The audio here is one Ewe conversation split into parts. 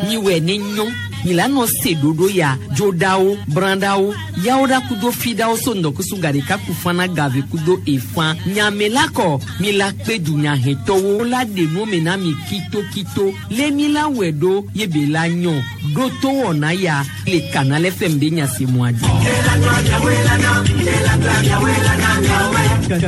Miwɛ ne nyɔ milano se ɖoɖo ya dzoɖawo brãɖawo yawo ɖa kudo fiɖawo so ŋdɔkusu gaɖeka kufana gave kudo efã nyame la kɔ mi la kpe dunyahetɔwo la ɖe nu me na mi kitokito lé mi la wɛ ɖo ye be la nyɔ ɖo to wɔna ya le Canal FM be nyasemua dzi.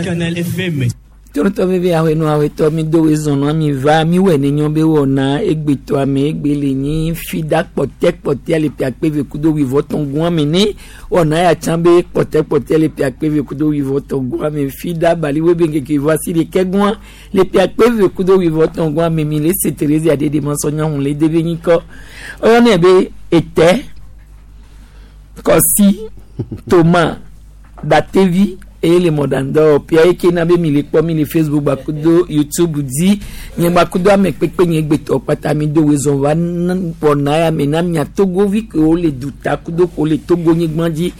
Canal FM. Torotɔ veve awenu awetɔ mi do wezɔn mi va mi wɛ ne nyɔ be wɔna egbetɔ ame egbe le nyi fida kpɔtɛ kpɔtɛ le ƒe akpe ve kudo wuivɔtɔn gun ame ne wɔna ya tsã be kpɔtɛ kpɔtɛ le ƒe akpe ve kudo wuivɔtɔn gun ame fida baliwe be nkeke vɔ asi ɖekɛ gun le ƒe akpe ve kudo wuivɔtɔn gun ame mi le se Terezia ɖeɖe mɔsɔnyɔhun le debe nyikɔ ɔyɔnɛ be etɛ kɔsi toma datevi eye le mɔɖaŋdɔ pia eke na be mi le kpɔ mi le Facebook gbakudo YouTube dzi nye gbakudo ame kpekpe nye gbetɔ kpata mi do wezɔn va wɔna ya me na mia togovi kewo le duta kudo ko le Togo nyigba dzi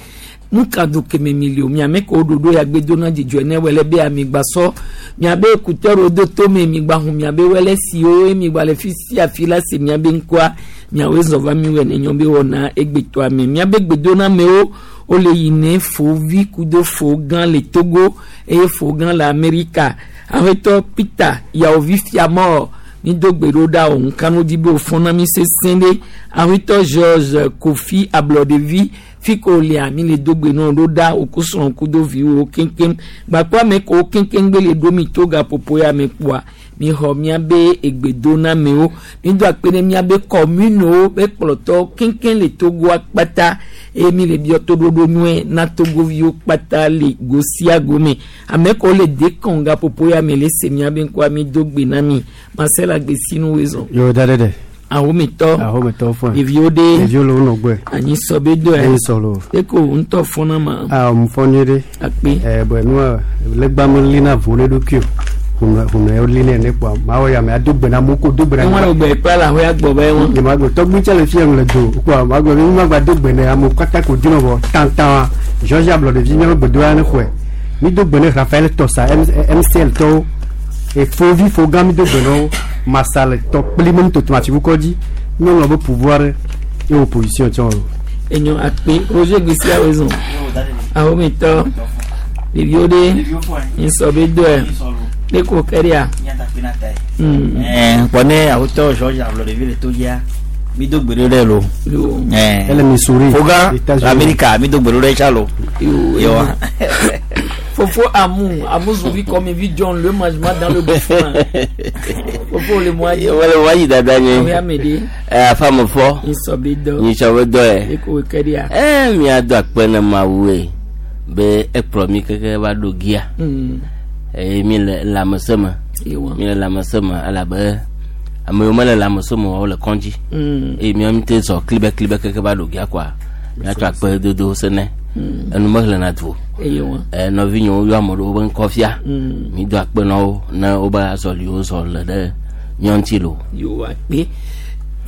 nuka do keme mi le o miame ko ɖoɖo ya gbe dona dzidzɔ ne wele be amigbasɔ miabe kutɔro do tome migba hu miabe wele siwo ye migba le fi sia fi la se miabe ŋkɔa miawoe zɔ va mi wɔ ne nyɔ be wɔna egbetɔa me miabe gbedona mewo wole yi ne fovi kudo fo gã le Togo eye fo gã le Amerika aƒetɔ Peter yawovi fiamɔ mi do gbe ɖo ɖa o nkanu dzi be wòfɔna mi sesẽ ɖe aƒetɔ George Kofi ablɔɖevi fi ko lia mi le do gbe nɔ ɖo ɖa wòku srɔ̃ kudo viwo keŋkeŋ gbakɔ ame ko keŋkeŋ gbe le ɖo mi to gaƒoƒo ya me kpoa mi xɔ miabe egbedonamewo mi do akpe ɖe miabe kɔmunewo be kplɔtɔwo keŋkeŋ le Togoa kpata eye mi le biɔ toɖoɖo nyuie na togoviwo kpata le go sia go me ame kewo le dekɔn gaƒoƒo ya me le se miabe ŋkɔa mi do gbe na mi Marcel Agbesinu wezɔn. Yo da ɖe. Ahometɔ. Ahometɔ fún. Ɖeviwo ɖe. Ɖeviwo le wo nɔ gbɔe. Anyi sɔ be do yɛ. Anyi sɔ lo. Eko ŋutɔ fɔna ma. Aa mo fɔ nyuie ɖe. Akpe. Ɛ bɔn nua legba me li na vo ne ɖokui o. Hunɛ hunɛ li ne ne kpoa maa wɔ ya mɛ ado gbe na mo ko do gbe na. Eŋua le gbe kple la ahoya gbɔ be eŋua. Nye ma gbe tɔgbi tse le fia le do kpoa ma gbe mi ma gba do gbe ne amewo katã ko dina vɔ tantan George Ablɔɖevi miaƒe gbedoa ne xɔe. Mi do gbe ne Raphaël Tɔsa MCL tɔwo. Efovi fogã mi do gbe na wo. Masa le tɔ kpli me nutoto atiwukɔ dzi. Nyɔnua be pouvoir ye opposition tsɔ o. Enyo akpe Roger Gbesiawo zɔn. Ahometɔ ɖeviwo ɖe nsɔ be doe ne ko kɛria. Kpɔ ne awotɔ George Ablɔɖevi le to dzia mi do gbe ɖo ɖe lo. Ele Missouri. Foga Amerika mi do gbe ɖo ɖe tsa lo. Yo. Fofo Amu, Amu Zouvi comme vi John le management dans le bouffon. Fofo le moyen. Wale wayi dada nye. Oya mede. Afa me fɔ. Nsɔ be dɔ. Nsɔ be dɔ yɛ. Eko kɛria. Mia do akpe na Mawu ye be ekplɔ mi keke va ɖo gia. Eye mi le lãmesẽ me. Mi le lãmesẽ me elabe ame yiwo mele lãmesẽ me o le kɔndzi. Eye miawo mi te zɔ klibe klibe keke va ɖo gia koa miatsɔ akpe dodo se ne. Enu mehlẽna du o. Nɔvinyewo yɔ ame ɖewo be ŋkɔ fia. Mi do akpe na wo ne wobe azɔliwo zɔ le ɖe míawo ŋuti lo. Yo akpe.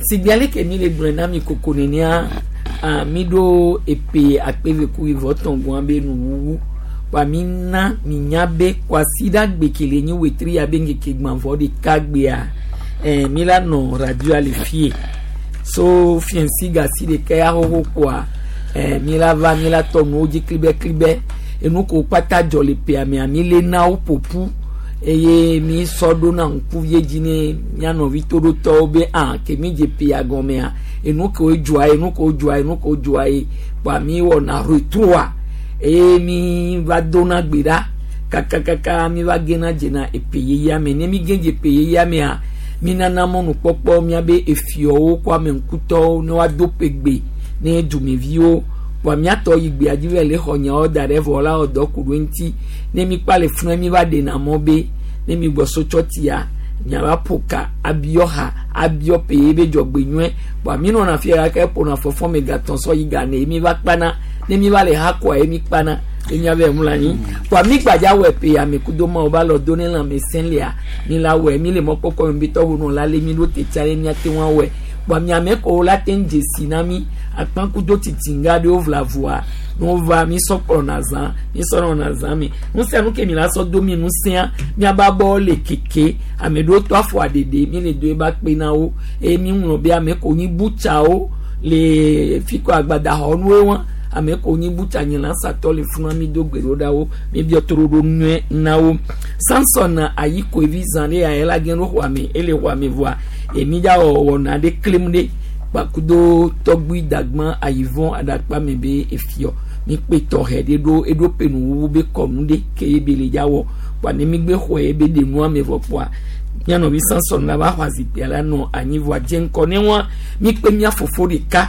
Sigbe ale ke mi le gblɔe na mi koko nenea mi ɖo epe akpe ve ku ivɔ tɔn gɔn be nuwuwu. Wa mi na mi nya be kwasiɖa gbe ke le nyi wetri ya be ŋkeke gbãvɔ ɖeka gbea mi la nɔ radio le fie. So fiɛnsi gasi ɖeka ya xoxo koa mi la va mi la tɔ nuwo dzi klibe klibe enu ko kpata dzɔ le ƒea mea mi le na wo ƒoƒu eye mi sɔ ɖo na ŋkuvie dzi ne mía nɔvi toɖotɔwo be a ke mi dze ƒea gɔmea enu kewo dzɔa ye nu kewo dzɔa ye nu kewo dzɔa ye kpoa mi wɔna retroa eye mi va dona gbe ɖa kakakaka mi va gena dzena eƒe yeyea me ne mi ge dze ƒe yeyea mea mi nana mɔnukpɔkpɔ miabe efiɔwo kɔ ame ŋkutɔwo ne woado ƒe gbe ne dumeviwo kpoa miatɔ yi gbea dzi va le xɔ nyawo da ɖe vɔ la wɔ dɔ ku ɖo ŋuti ne mi kpa le funu mi va ɖena mɔ be ne mi gbɔ so tsɔtia miava ƒo ka abiɔ ha abiɔ peye be dzɔgbe nyuie kpoa mi nɔna fia gake ƒona fɔfɔ me gatɔn sɔ yi gane mi va kpana ne mi va le ha kɔa ye mi kpana ye miava mlɔ anyi kpoa mi gbadza wɔ pe ame kudo ma wo va lɔ do ne lãmesẽ lia mi la wɔe mi le mɔkpɔkpɔ mi be tɔwo nɔ la le mi ɖo te tsa ɖe miate ŋu awɔe kpoa miame ko la te ŋu dzesi na mi akpakudo tsitsinga ɖewo vlavoa. Ne wova mi sɔ kplɔna zã, mi sɔ nɔna zã me. Nu sia nu ke mi la sɔ do mi nusẽa, miaba bɔ le keke. Ame ɖewo tɔ afɔ aɖeɖe, mi le do eba kpe na wo. Eye mi ŋlɔ be ame ko nyi butsawo le fi kɔ agbadaxɔnuwo wa. Ame ko nyi butsa nye la satɔ le funu mi do gbe ɖo ɖa wo. Mi biɔ toro ɖo nyuie na wo. Samson ayi koevi zã ɖe ya la gen ɖo xɔa me, ele xɔa me vɔa. Emi dza wɔ wɔna ɖe klim ɖe kpakudo tɔgbui dagbã ayivɔn aɖakpa me be efiɔ. Mi kpe tɔxɛ ɖe ɖo eɖo penu wuwu be kɔnu ɖe ke ye be le dza wɔ. Kpa ne mi gbe xɔe ye be ɖe nua me vɔ kpoa. Mianɔvi Samson la va xɔ azikpuia la nɔ anyi vɔa dze ŋkɔ ne wa mi kpe mia fofo ɖeka.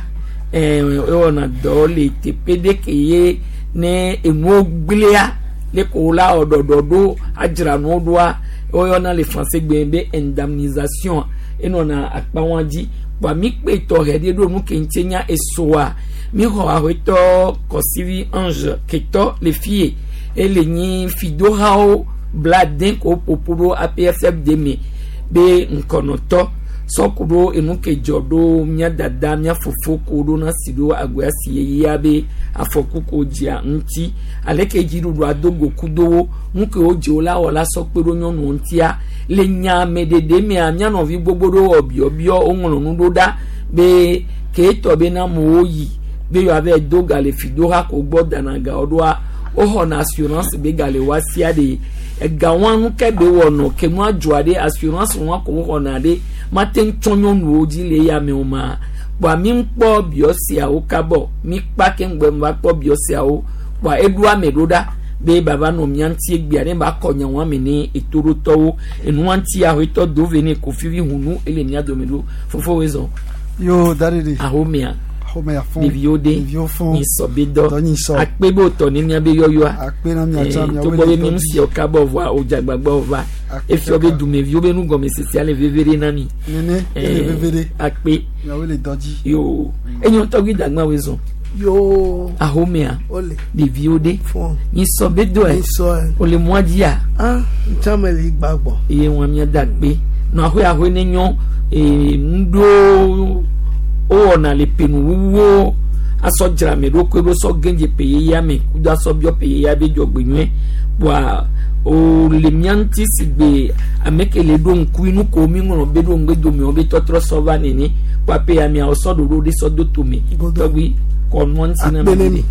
Ewɔna dɔ le teƒe ɖe ke ye ne enuwo gblẽa le ko la wɔ ɖɔɖɔ ɖo adzra nuwo ɖoa woyɔna le français gbe be indemnisation enɔna akpa wa dzi. Kpoa mi kpe tɔxɛ ɖe ɖo nu ke ŋuti nya esoa mi xɔ aƒetɔ Kɔsivi Ange ketɔ le fie ele nyi fidohawo bla den ko ƒoƒu ɖo APFFD me be ŋkɔnɔtɔ sɔku ɖo enu ke dzɔ ɖo mía dada mía fofo ko ɖo na si ɖo agoa si yeyea be afɔku ko dzia ŋuti aleke dziɖuɖu ado go kudo nu ke wodze wo la wɔ la sɔ kpe ɖo nyɔnuwo ŋutia le nya me ɖeɖe mea mía nɔvi gbogbo ɖo wɔ biɔbiɔ woŋlɔ nu ɖo ɖa be ke tɔ be na amewo yi be yewoa va do ga le fidoha ko gbɔ dana gawo ɖoa woxɔna assurance be ga le woa sia ɖe ega wa nu ke be wɔnɔ ke nua dzɔa ɖe assurance wa ko woxɔna ɖe mate ŋu tsɔ nyɔnuwo dzi le ya me o ma kpoa mi ŋkpɔ biɔ siawo kabɔ mi kpa ke ŋgbɛ va kpɔ biɔ siawo kpoa eɖo ame ɖo ɖa be baba nɔ mía ŋuti egbea ne ba kɔ nya wa me ne etoɖotɔwo enua ŋuti aƒetɔ do ve ne kofi vi hunu ele mía dome ɖo fofo wo zɔn. Yo daddy. Ahomea. Ahomea fún. Ɖeviwo de. Ɖeviwo fún. Nyisɔ be dɔ. Dɔ nyisɔ. Akpe be wòtɔ ne mía be yɔyɔa. Akpe na mía tsã mía Togbɔ be mi ŋusiawo kabɔ vɔa wòdze agbagba va. Efiɔ be dumeviwo be nugɔmesese le veve ɖe na mi. Nene ele veve ɖe. Akpe. Miawo le dɔ dzi. Yo enyo tɔgbi dagba wo zɔn. Yo. Ahomea. Ole. Ɖeviwo de. Fún. Nyisɔ be dɔe. Nyisɔ. Wòle mɔa dzia. Ah ntsã me le gbagbɔ. Eye wɔn mía da akpe. Nɔ ahoe ahoe ne nyɔ ee ŋɖo wowɔna le penuwuwuwo asɔ dzra ame ɖokui ɖo sɔ gɛdze pe yeyea me kudo asɔ biɔ pe yeyea be dzɔgbe nyuie kpoa wòle mía ŋuti si gbe ame ke le ɖo ŋku nu ko mi ŋlɔ be ɖo ŋgbe dome wo be tɔtrɔ sɔ va nene kpoa pe ya miawo sɔ ɖoɖo ɖe sɔ do tome tɔgbi kɔ nua ŋuti na Akpe ne mi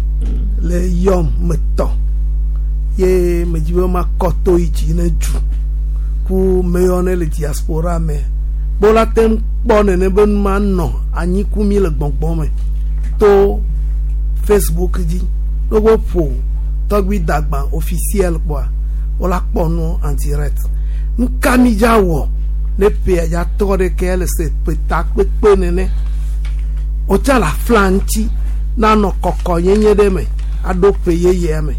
le yɔm me tɔ ye me dzi be makɔ to yi dzi ne du ku meyɔ ne le diaspora me kpɔ la te ŋu kpɔ nene be nu ma nɔ anyi ku mi le gbɔngbɔn me to Facebook dzi ɖogo ƒo tɔgbi dagba officiel kpɔa wola kpɔ nu en direct nuka mi dza wɔ ne ƒea dza tɔ ɖe ke le se ƒeta kpekpe nene wotsa le afla ŋuti nanɔ kɔkɔ nyenye ɖe me aɖo ƒe yeyea me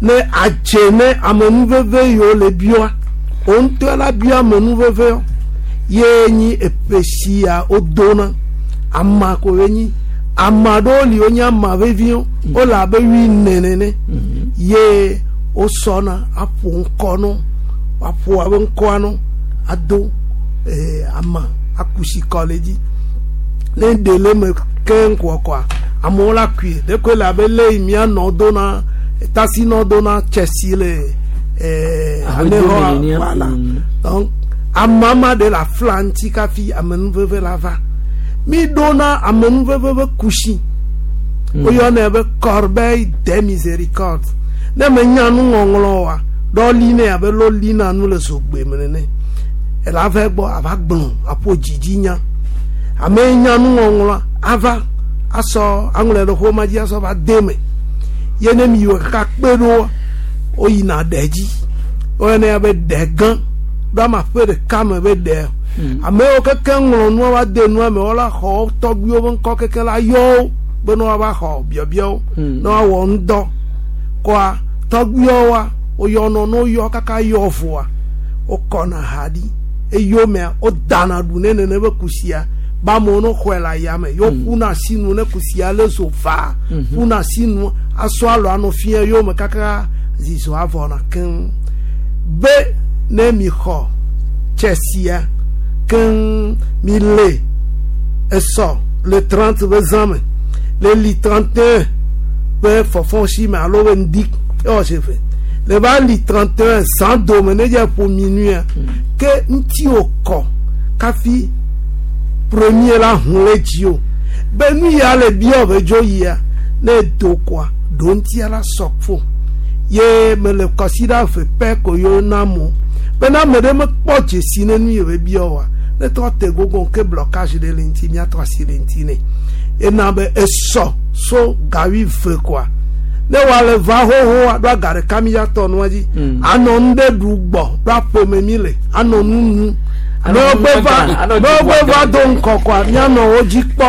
ne adze ne amenuveve yiwo le bioa wo ŋutɔ la bia amenuveve ye nyi eƒe sia wodona ama ko ye nyi ama ɖewo li wonye ama veviwo wole abe wuiene nene ye wosɔna aƒo ŋkɔ no aƒo abe ŋkɔa no ado ama akusi kɔ le dzi ne ɖe le me keŋ kɔkɔa amewo la kui ɖeko le abe le yi mía nɔ dona tasi nɔ dona tsesi le anexɔ voilà donc amama ɖe le afla ŋuti kafi amenuveve la va mi ɖona amenuveve be kusi woyɔnɛ be corbeille de miséricorde ne menya nuŋɔŋlɔ wa ɖɔ li nɛ abe lo li na nu le zogbe me nene ela va gbɔ ava gblɔ aƒo dzidzi nya ame yi nya nuŋɔŋlɔa ava asɔ aŋlɔe ɖe xɔma dzi asɔ va de me ye ne mi wɔ kaka kpe ɖo woyina ɖe dzi woyɔnɛ be ɖe gã ɖo ama ƒe ɖeka me be ɖe amewo keke ŋlɔ nua va de nua me wola xɔ tɔgbuiwo be ŋkɔ keke la yɔ wo be ne woava xɔ biɔbiɔwo ne woawɔ ŋdɔ kɔa tɔgbuiwo woyɔnɔ ne woyɔ kaka yɔ voa wokɔna ha ɖi eyomea wodana ɖu ne nene be kusia be amewo ne xɔe le ayame ye woƒuna asi nu ne kusia le zo vaa ƒuna asi nu asɔ alɔ anɔ fia yome kaka zizɔ avɔna keŋ be ne mi xɔ tsesia keŋ mi le esɔ le 30 be zã me le li 31 Ƒe fɔfɔ si me alo be ŋdi ewɔ se ve le va li 31 zã dome ne dze ƒo minuia ke ŋuti wò kɔ kafi premier la hu le dzi o be nu ya le biɔ be dzo yia ne do koa ɖo ŋutia la sɔ fo ye mele kɔsiɖa ve pɛ ko yewo na mo bena ame ɖe mekpɔ dzesi ne nu yi be biɔ oa ne trɔ te gogo ke blocage ɖe le ŋuti míatrɔ asi le ŋuti nɛ ena be esɔ so gawi ve koa ne wòale va xoxoa ɖo aga ɖeka mi ya tɔ nua dzi anɔ nu ɖe ɖu gbɔ ɖo aƒeme mi le anɔ nu nu Anɔ ne nu wogbe va gã, anɔ ne wogbe dzi va do ŋkɔ koa míanɔ wo dzi kpɔ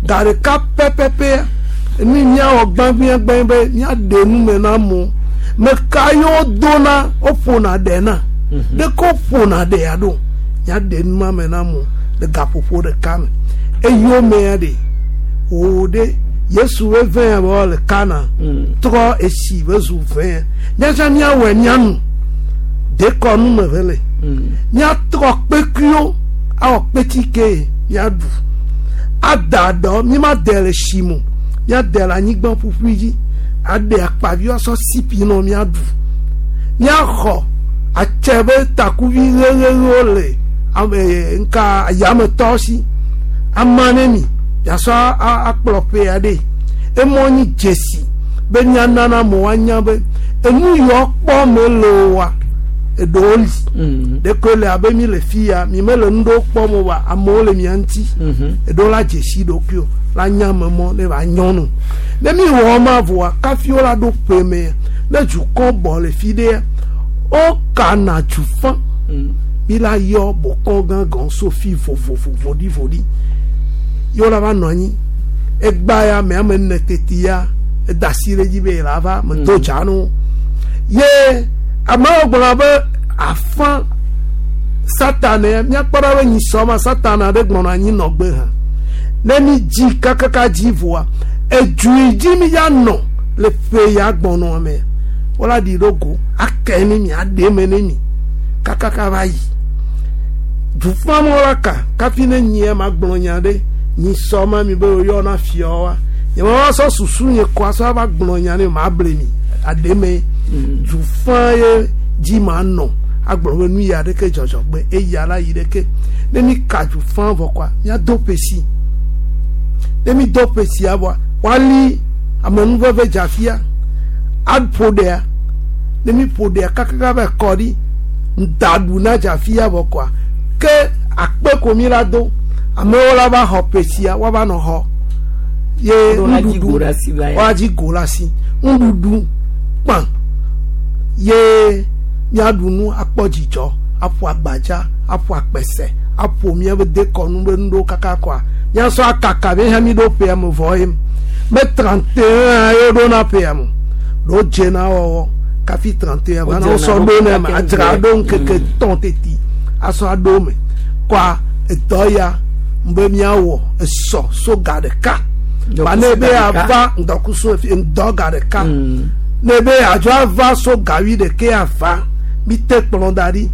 ga ɖeka pɛpɛpɛ nu yi míawɔ gbãgbãgbã be míaɖe nu me na amewo meka yiwo dona woƒona ɖe na ɖeke woƒona ɖea ɖo míaɖe nu ma me na amewo le gaƒoƒo ɖeka me eyiwo mea ɖe wò ɖe yesu be vɛn be le kana trɔ esi be zu vɛn míatsã míawɔe míanu dekɔnu me ve le míatrɔ kpekuiwo awɔ kpetike míaɖu ada dɔ míma de le tsi me o míade le anyigba ƒuƒui dzi aɖe akpaviwo asɔ sipi nɔ míaɖu míaxɔ atse be takuvi ɣeɣeɣewo le ame nka yametɔ si ama ne mi miasɔ akplɔ ƒe aɖe emɔ nyi dzesi be míanana amewo anya be enu yiwo kpɔ mele oa eɖewo li ɖeko le abe mi le fi ya mi mele nu ɖewo kpɔm o wa amewo le mia ŋuti eɖewo la dzesi ɖokuiwo la nya ame mɔ ne va nyɔnu ne mi wɔ ma voa kafi wo la ɖo ƒe me ne dukɔ bɔ le fi ɖea wokana dzufa mi la yɔ bɔkɔ gãgã so fi vovovo voɖivoɖi ye wo la va nɔ anyi egba ya me ame ene teti ya eda asi ɖe dzi be ye la va me do dza no ye amewo gblɔ be afã satana ya míakpɔ ɖa be nyisɔ ma satana ɖe gbɔna anyi nɔgbe hã ne mi dzi kakaka dzi voa edu yi dzi mi ya nɔ le ƒe ya gbɔnɔ me wola ɖi ɖo go ake ne mi aɖe eme ne mi kakaka va yi dufamɔ la ka kafi ne nyia ma gblɔ nya ɖe nyisɔ ma mi be woyɔna fiɔ wa nye ma va sɔ susu nye kɔ asɔ va gblɔ nya ne ma ble mi aɖe me dufa ye dzi ma nɔ agblɔ be nu ya ɖeke dzɔdzɔ gbe eya la yi ɖeke ne mi ka dufa vɔ kɔa míado ƒesi ne mi do ƒesia vɔa woali amenuveve dzafia aƒo ɖea ne mi ƒo ɖea kakaka va kɔ ɖi ŋdaɖu na dzafia vɔ kɔa ke akpe ko mi la do amewo la va xɔ ƒesia woava nɔ xɔ ye Ɖo la dzi nuɖuɖu go ɖe asi va ya. woadzi go le asi nuɖuɖu kpã ye míaɖu nu akpɔ dzidzɔ aƒo agbadza aƒo akpɛsɛ aƒo míaƒe dekɔnu be nu ɖewo kaka kɔa míasɔ akaka be hã mi ɖo ƒea me vɔ ye be 31 ye ɖo na ƒea me ɖo dze na wɔwɔ kafi 31 va na Wodzena wosɔ ɖo ɖo ne me kaka adzra ŋgbe. ɖo ŋkeke tɔn teti asɔ aɖo me kɔa edɔ ya be míawɔ esɔ so ga ɖeka ba ne be Ŋdɔkusu ga ɖeka. ava ŋdɔkusu ŋdɔ ga ɖeka ne be adzɔ ava so gawi ɖeke ava mi te kplɔ da ɖi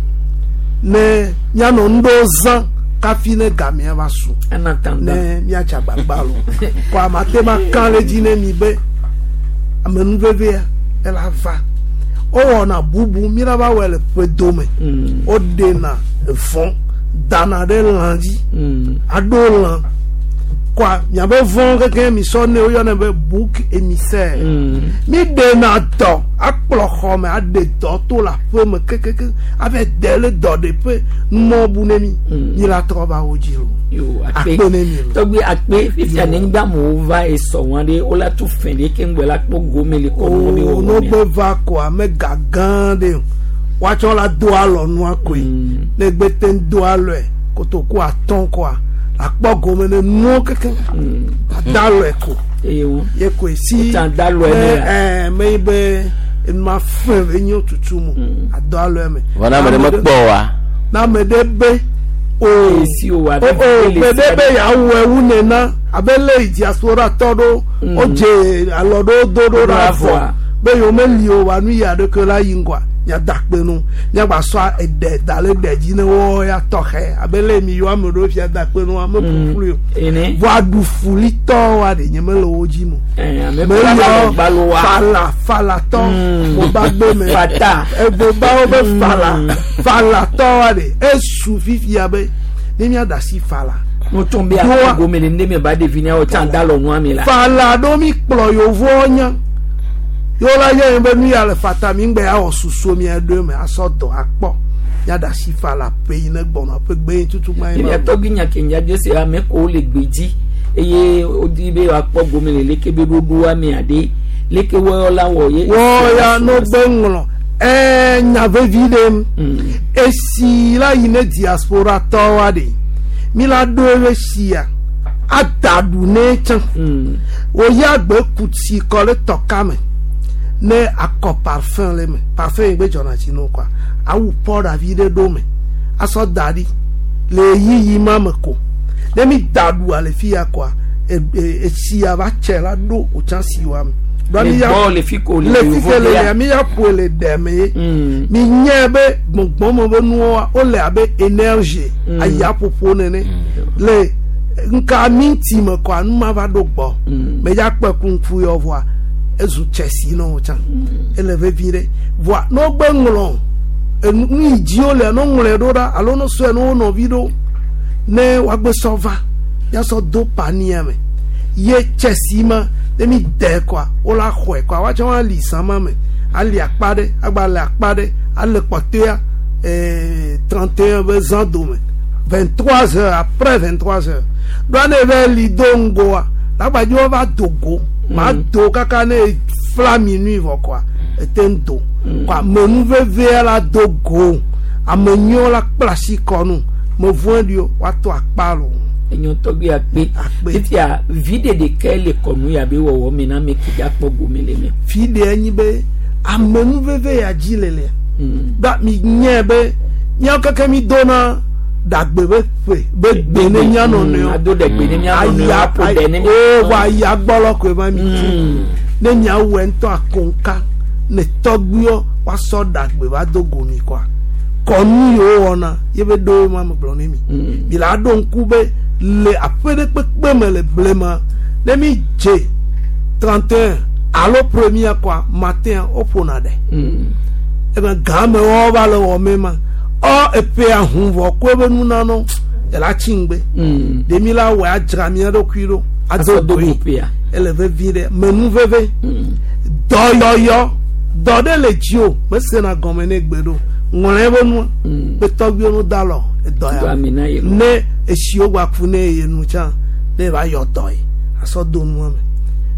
ne míanɔ nu ɖewo zã kafi ne gamea va su En attendant. ne míatsi agbagba lo kɔ amate ma kã le dzi ne mi be amenuvevea ela va wowɔna bubu mi la va wɔe le ƒe dome woɖena evɔ dana ɖe lã dzi aɖo lã kɔa miabe vɔ keke mi sɔ ne woyɔnɛ be bouc émissaire mi ɖena dɔ akplɔ xɔ me aɖe dɔ to le aƒe me kekeke abe de le dɔ ɖeƒe numɔ bu ne mi mi la trɔ va wo dzi o Yo, akpe. akpe ne mi lo. Tɔgbi akpe fifia ne ŋgba amewo va esɔ wɔn ɖe wola tu fɛn ɖe ke ŋgbɛ la kpɔ gome le kɔnu be o wɔwɔ no mea. gbe va koa ame ga gã ɖe o woatsɔ la do alɔ nua koe ne gbe te ŋu do alɔe kotoku atɔ̃ koa akpɔ gome ne nuwo keke ada alɔe ko Eye wo. ye koe si Wotsa da alɔe ne ne ya. ɛɛ me yi be enua fɛn be nyo tutu mu ado alɔe me. vɔ na ame ɖe mekpɔ oa na ame ɖe be o Esi o wa o o me ɖe be yeawɔ ewu nena abe le diaspora tɔ ɖo wodze alɔ ɖewo do ɖo Ɖo ɖe avɔa. avɔ be yewo meli o wa nu yi aɖeke la yi ŋgɔa Miada akpe nu. Miagba sɔ eɖe da le ɖe dzi ne wo ya tɔxɛ abe le mi yɔ ame ɖewo fia da akpe nu ame ƒuƒlu o. Ene. Vɔ aɖufulitɔ wa ɖe nye mele wo dzi mo. Eh, ame Me kura yɔ va gbalo wa. fala falatɔ boba gbe me. Fata. Ebobawo be fala falatɔ wa ɖe esu fifia be ne miada asi fala. No tɔn be Doa. akɔ gome le ne me ba ɖevi ne wo tsã da lɔ nua mi la. Fala ɖo mi kplɔ yevowo nya. Yewo la yɔ be nu ya le fata mi ŋgbɛ awɔ susu mia ɖo me asɔ dɔ akpɔ. Miada asi fala ƒe yi ne gbɔnɔ ƒe gbe yi tutu gba yi Mia ma. tɔgbi nya ke nya dio se ame ko le gbe dzi eye wodi be woakpɔ gome le leke be ɖoɖoa mea ɖe leke wɔyɔ la wɔ ye. Wɔ ya no gbe ŋlɔ. Ɛɛ nya vevi ɖe. Esi la yi ne diaspora tɔwoa ɖe mi la ɖo eƒe sia ada ɖu ne tsã. Woya gbe ku tsi kɔ ɖe tɔka me ne akɔ parfum le me parfum yi gbe dzɔna tsi no kɔa awu pɔɖa vi ɖe ɖo me asɔ da ɖi le ɣeyiɣi ma me ko ne mi da ɖua le fi ya kɔa etsia va tse la ɖo wòtsã si wa me. Ɖoa Le mi ya- gbɔ le fi ko le le fi yevo ke le dea. ya mi ya ƒoe le ɖe me ye mi nye be gbɔngbɔn be nuwoa wole abe énergie ayaƒoƒo nene le nka minti me kɔa nu ma va ɖo gbɔ me ya kpe kuŋku yɔ vɔa ezu tsesi na wo tsã ele vevi ɖe vɔa ne wogbe ŋlɔ enu nu yi dzi wole ne woŋlɔe ɖo ɖa alo ne wosɔe ne wo nɔvi ɖo ne woagbe sɔ va miasɔ do pania me ye tsesi ma ne mi dɛ kɔa wola xɔe kɔa woatsɔ ali zãma me ali akpa ɖe agba le akpa ɖe ale kpɔtɔea 31 be zã dome 23 heures après 23 heures ɖoa ne va li do ŋgoa lagbadzi wova do go ma do kaka ne fla minuit vɔ kɔa ete ŋu do kɔa menu vevea la do go ame nyuiwo la kpla asi kɔ nu me vɔe ɖi o woato akpa lo. Enyo tɔgbi akpe. Akpe. Fifia vi ɖe ɖeka le kɔnu ya be wɔwɔ me na ame ke dza kpɔ gome le me. Fi ɖe enyi be amenuveve ya dzi le lea ba mi nye be míawo keke mi dona ɖagbe be ƒe be gbe ne mía nɔnɔewo Ado ɖe gbe ne mía nɔnɔewo aya aƒo ɖe ne mía o va aya gbɔlɔ koe ma mi tu ne miawɔe ŋutɔ akonka ne tɔgbuiwo woasɔ ɖagbe va do go mi kɔa kɔnu yiwo wɔna ye be ɖowo ma me gblɔ ne mi mi la ɖo ŋku be le aƒe ɖe kpekpe me le blema ne mi dze 31 alo premier kɔa matin woƒona ɖe ebe game wɔwɔ va le wɔme ma ɔ eƒea hu vɔ ko ebe nunanɔ ela tsi ŋgbe ɖe mi la wɔe adzra mía ɖokui ɖo Asɔ ado do goe go ƒea. ele vevi ɖe menu veve dɔyɔyɔ dɔ ɖe le dzi o mesena gɔme ne gbe ɖo ŋlɔ ebe nua be tɔgbuiwo no da lɔ edɔ Do ya ami na ye lo. ne esiwo gba ku ne ye nu tsã ne va yɔ dɔ ye asɔ do nua me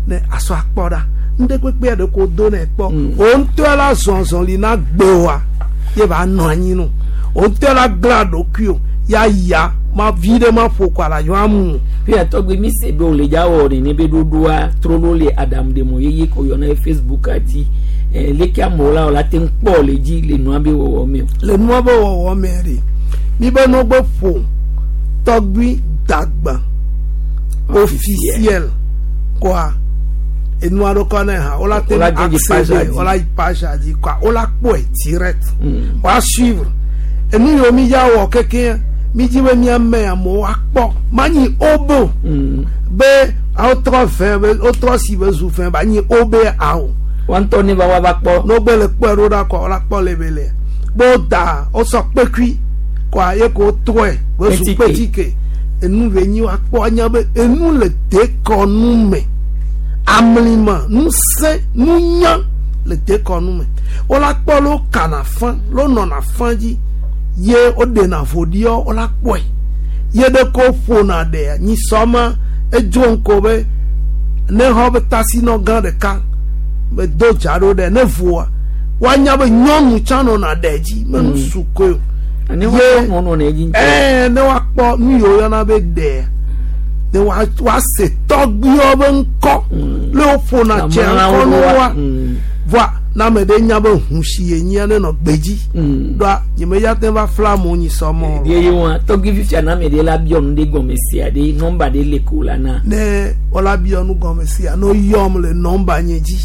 ne asɔ akpɔ ɖa ŋɖe kpekpe ɖe ko do ne kpɔ o ŋutɔ la zɔzɔli na gbewoa ye va nɔ anyi no o ŋutɔ la gla ɖokui o ya ya ma vi ɖe ma ƒo kɔ ala yɔ amu Fifia tɔgbi mi se be wòle dza wɔ nene be ɖoɖoa trɔ ɖo le aɖaŋuɖemɔ yeye ko yɔna ye Facebook dzi. Eh, leke amewo la wɔ la te ŋu kpɔ le dzi le nua be wɔwɔ me o. Le nua be wɔwɔ me ɖe mi be no be ƒo tɔgbui dagba officiel kɔa enua ɖo kɔ ne hã wola te Wola dze dzi page accéder dzi. wola yi page dzi kɔa wola kpɔe direct woa suivre enu yiwo mi ya wɔ keke mi dzi be miame amewo akpɔ manyi obo be wotrɔ fɛ be wotrɔ si be zu fɛ ba nyi obe awo Wa ŋutɔ ne va wa va kpɔ. n'ogbe le kpɔe ɖo ɖa kɔ wola kpɔ le be le be woda wosɔ kpekui kɔa ye ko wotrɔe be zu Kpetike. kpetike enu ve nyi woakpɔ anya be enu le dekɔnu me amlima nusẽ nunya le dekɔnu me wola kpɔ le wokana fã le wonɔna fã dzi ye woɖena voɖiɔ wola kpɔe ye ɖe ko ƒona ɖea nyisɔma edzo ŋko be ne xɔ be tasinɔ gã ɖeka be do dza ɖo ɖe ne voa woanya be nyɔnu tsã nɔna ɖe dzi me nu su koe o Ne Ye- wa nɔ nɔ dzi ŋutɔ. ɛɛ ne woakpɔ nu yiwo woyɔna be ɖea ne woase tɔgbuiwo be ŋkɔ le woƒona tsia ŋkɔ ne woa voa ne ame ɖe nya be hu si ye nyia ne nɔ gbedzi ɖoa nye me ya te va fla amewo nyi sɔmɔ o. Ye ye wa tɔgbi fifia na ame ɖe la biɔ nu ɖe gɔme sia ɖe nɔmba ɖe le ko la na. Ne wola biɔ nu gɔme sia ne woyɔm le nɔmba nye dzi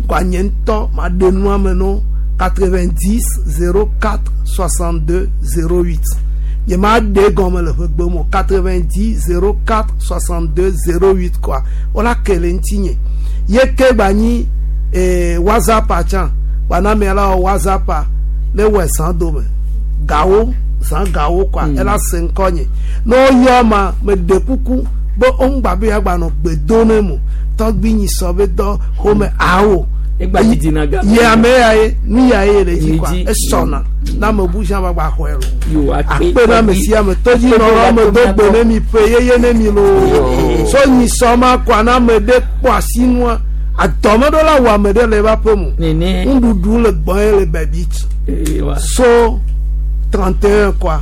kɔa nye ŋutɔ ma ɖe nua me no. 90 04 62 08. Nye ma ɖe gɔme le ƒe gbe me o. 90 04 62 08 kɔa wola ke le ŋutinye ye ke gba nyi WhatsApp tsã gba na la wɔ WhatsApp ne wɔ zã dome gawo zã gawo kɔa ela se ŋkɔ nye ne woyɔ ma me ɖe kuku be woŋgba be yagba nɔ gbe do ne mo tɔgbi nyi sɔ be dɔ xɔme awo Egba didi na ga. Ye ame ya ye nu ya ye le dzi Le kɔa dzi. Esɔna na ame bu sia ma gba xɔe lo Yo, akpe akpe na ame sia ame tɔdzi nɔlɔ ame do gbe ne mi ƒe yeye ne mi loo so nyi sɔ ma kɔa na ame ɖe kpɔ asinua adɔme ɖo la wɔ ame ɖe le eva ƒe mo Nene. Nuɖuɖu le gbɔn ye le bɛbi tsi Ewa. So 31 kɔa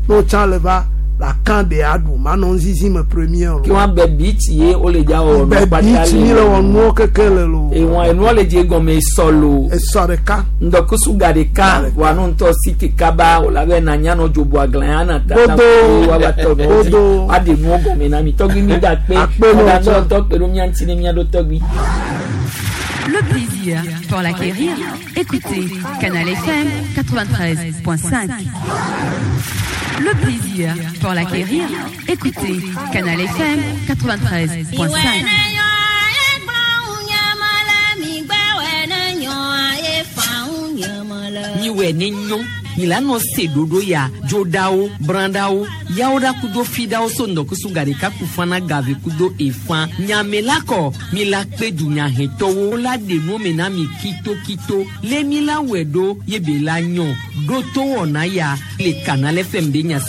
n'o tsã le va la kan de aɖu manɔ ŋzizi me premier Kí lo wọ́n bẹ bíìtì ye ó lè já ọ̀nà bɛbi tsi mi le wɔ nuwo keke le lo Ìwọ̀n ẹnu lè jẹ́ gɔmɛ sɔlò. Esɔ ɖeka. Ŋdɔkusu ga ɖeka wà nù ŋutɔ si ti kaba wò la bɛ na nyanɔ dzobo aglan ya na tata Godo. wa ba tɔ nɔ dzi Godo. wa de nuwo gɔmɛ na mi tɔgbi mi da kpe Akpe nɔ ɔda tsɔ. nɔ tɔ kpe ɖo mía ŋuti ne mía ɖo tɔgbi. Le plaisir pour l'acquérir, écoutez Canal FM 93.5. Le plaisir pour l'acquérir, écoutez Canal FM 93.5. Miwɛ ne nyɔ milanɔ se ɖoɖo ya dzoɖawo brãɖawo yawoɖa kudo fiɖawo so ŋdɔkusu gaɖeka ku fana gave kudo efã nyame la kɔ mi la kpe dunyahɛtɔwo la ɖe nuwo me na mi kitokito lé mi la wɔe ɖo ye be la nyɔ ɖo to wɔna ya le Canal FM be nya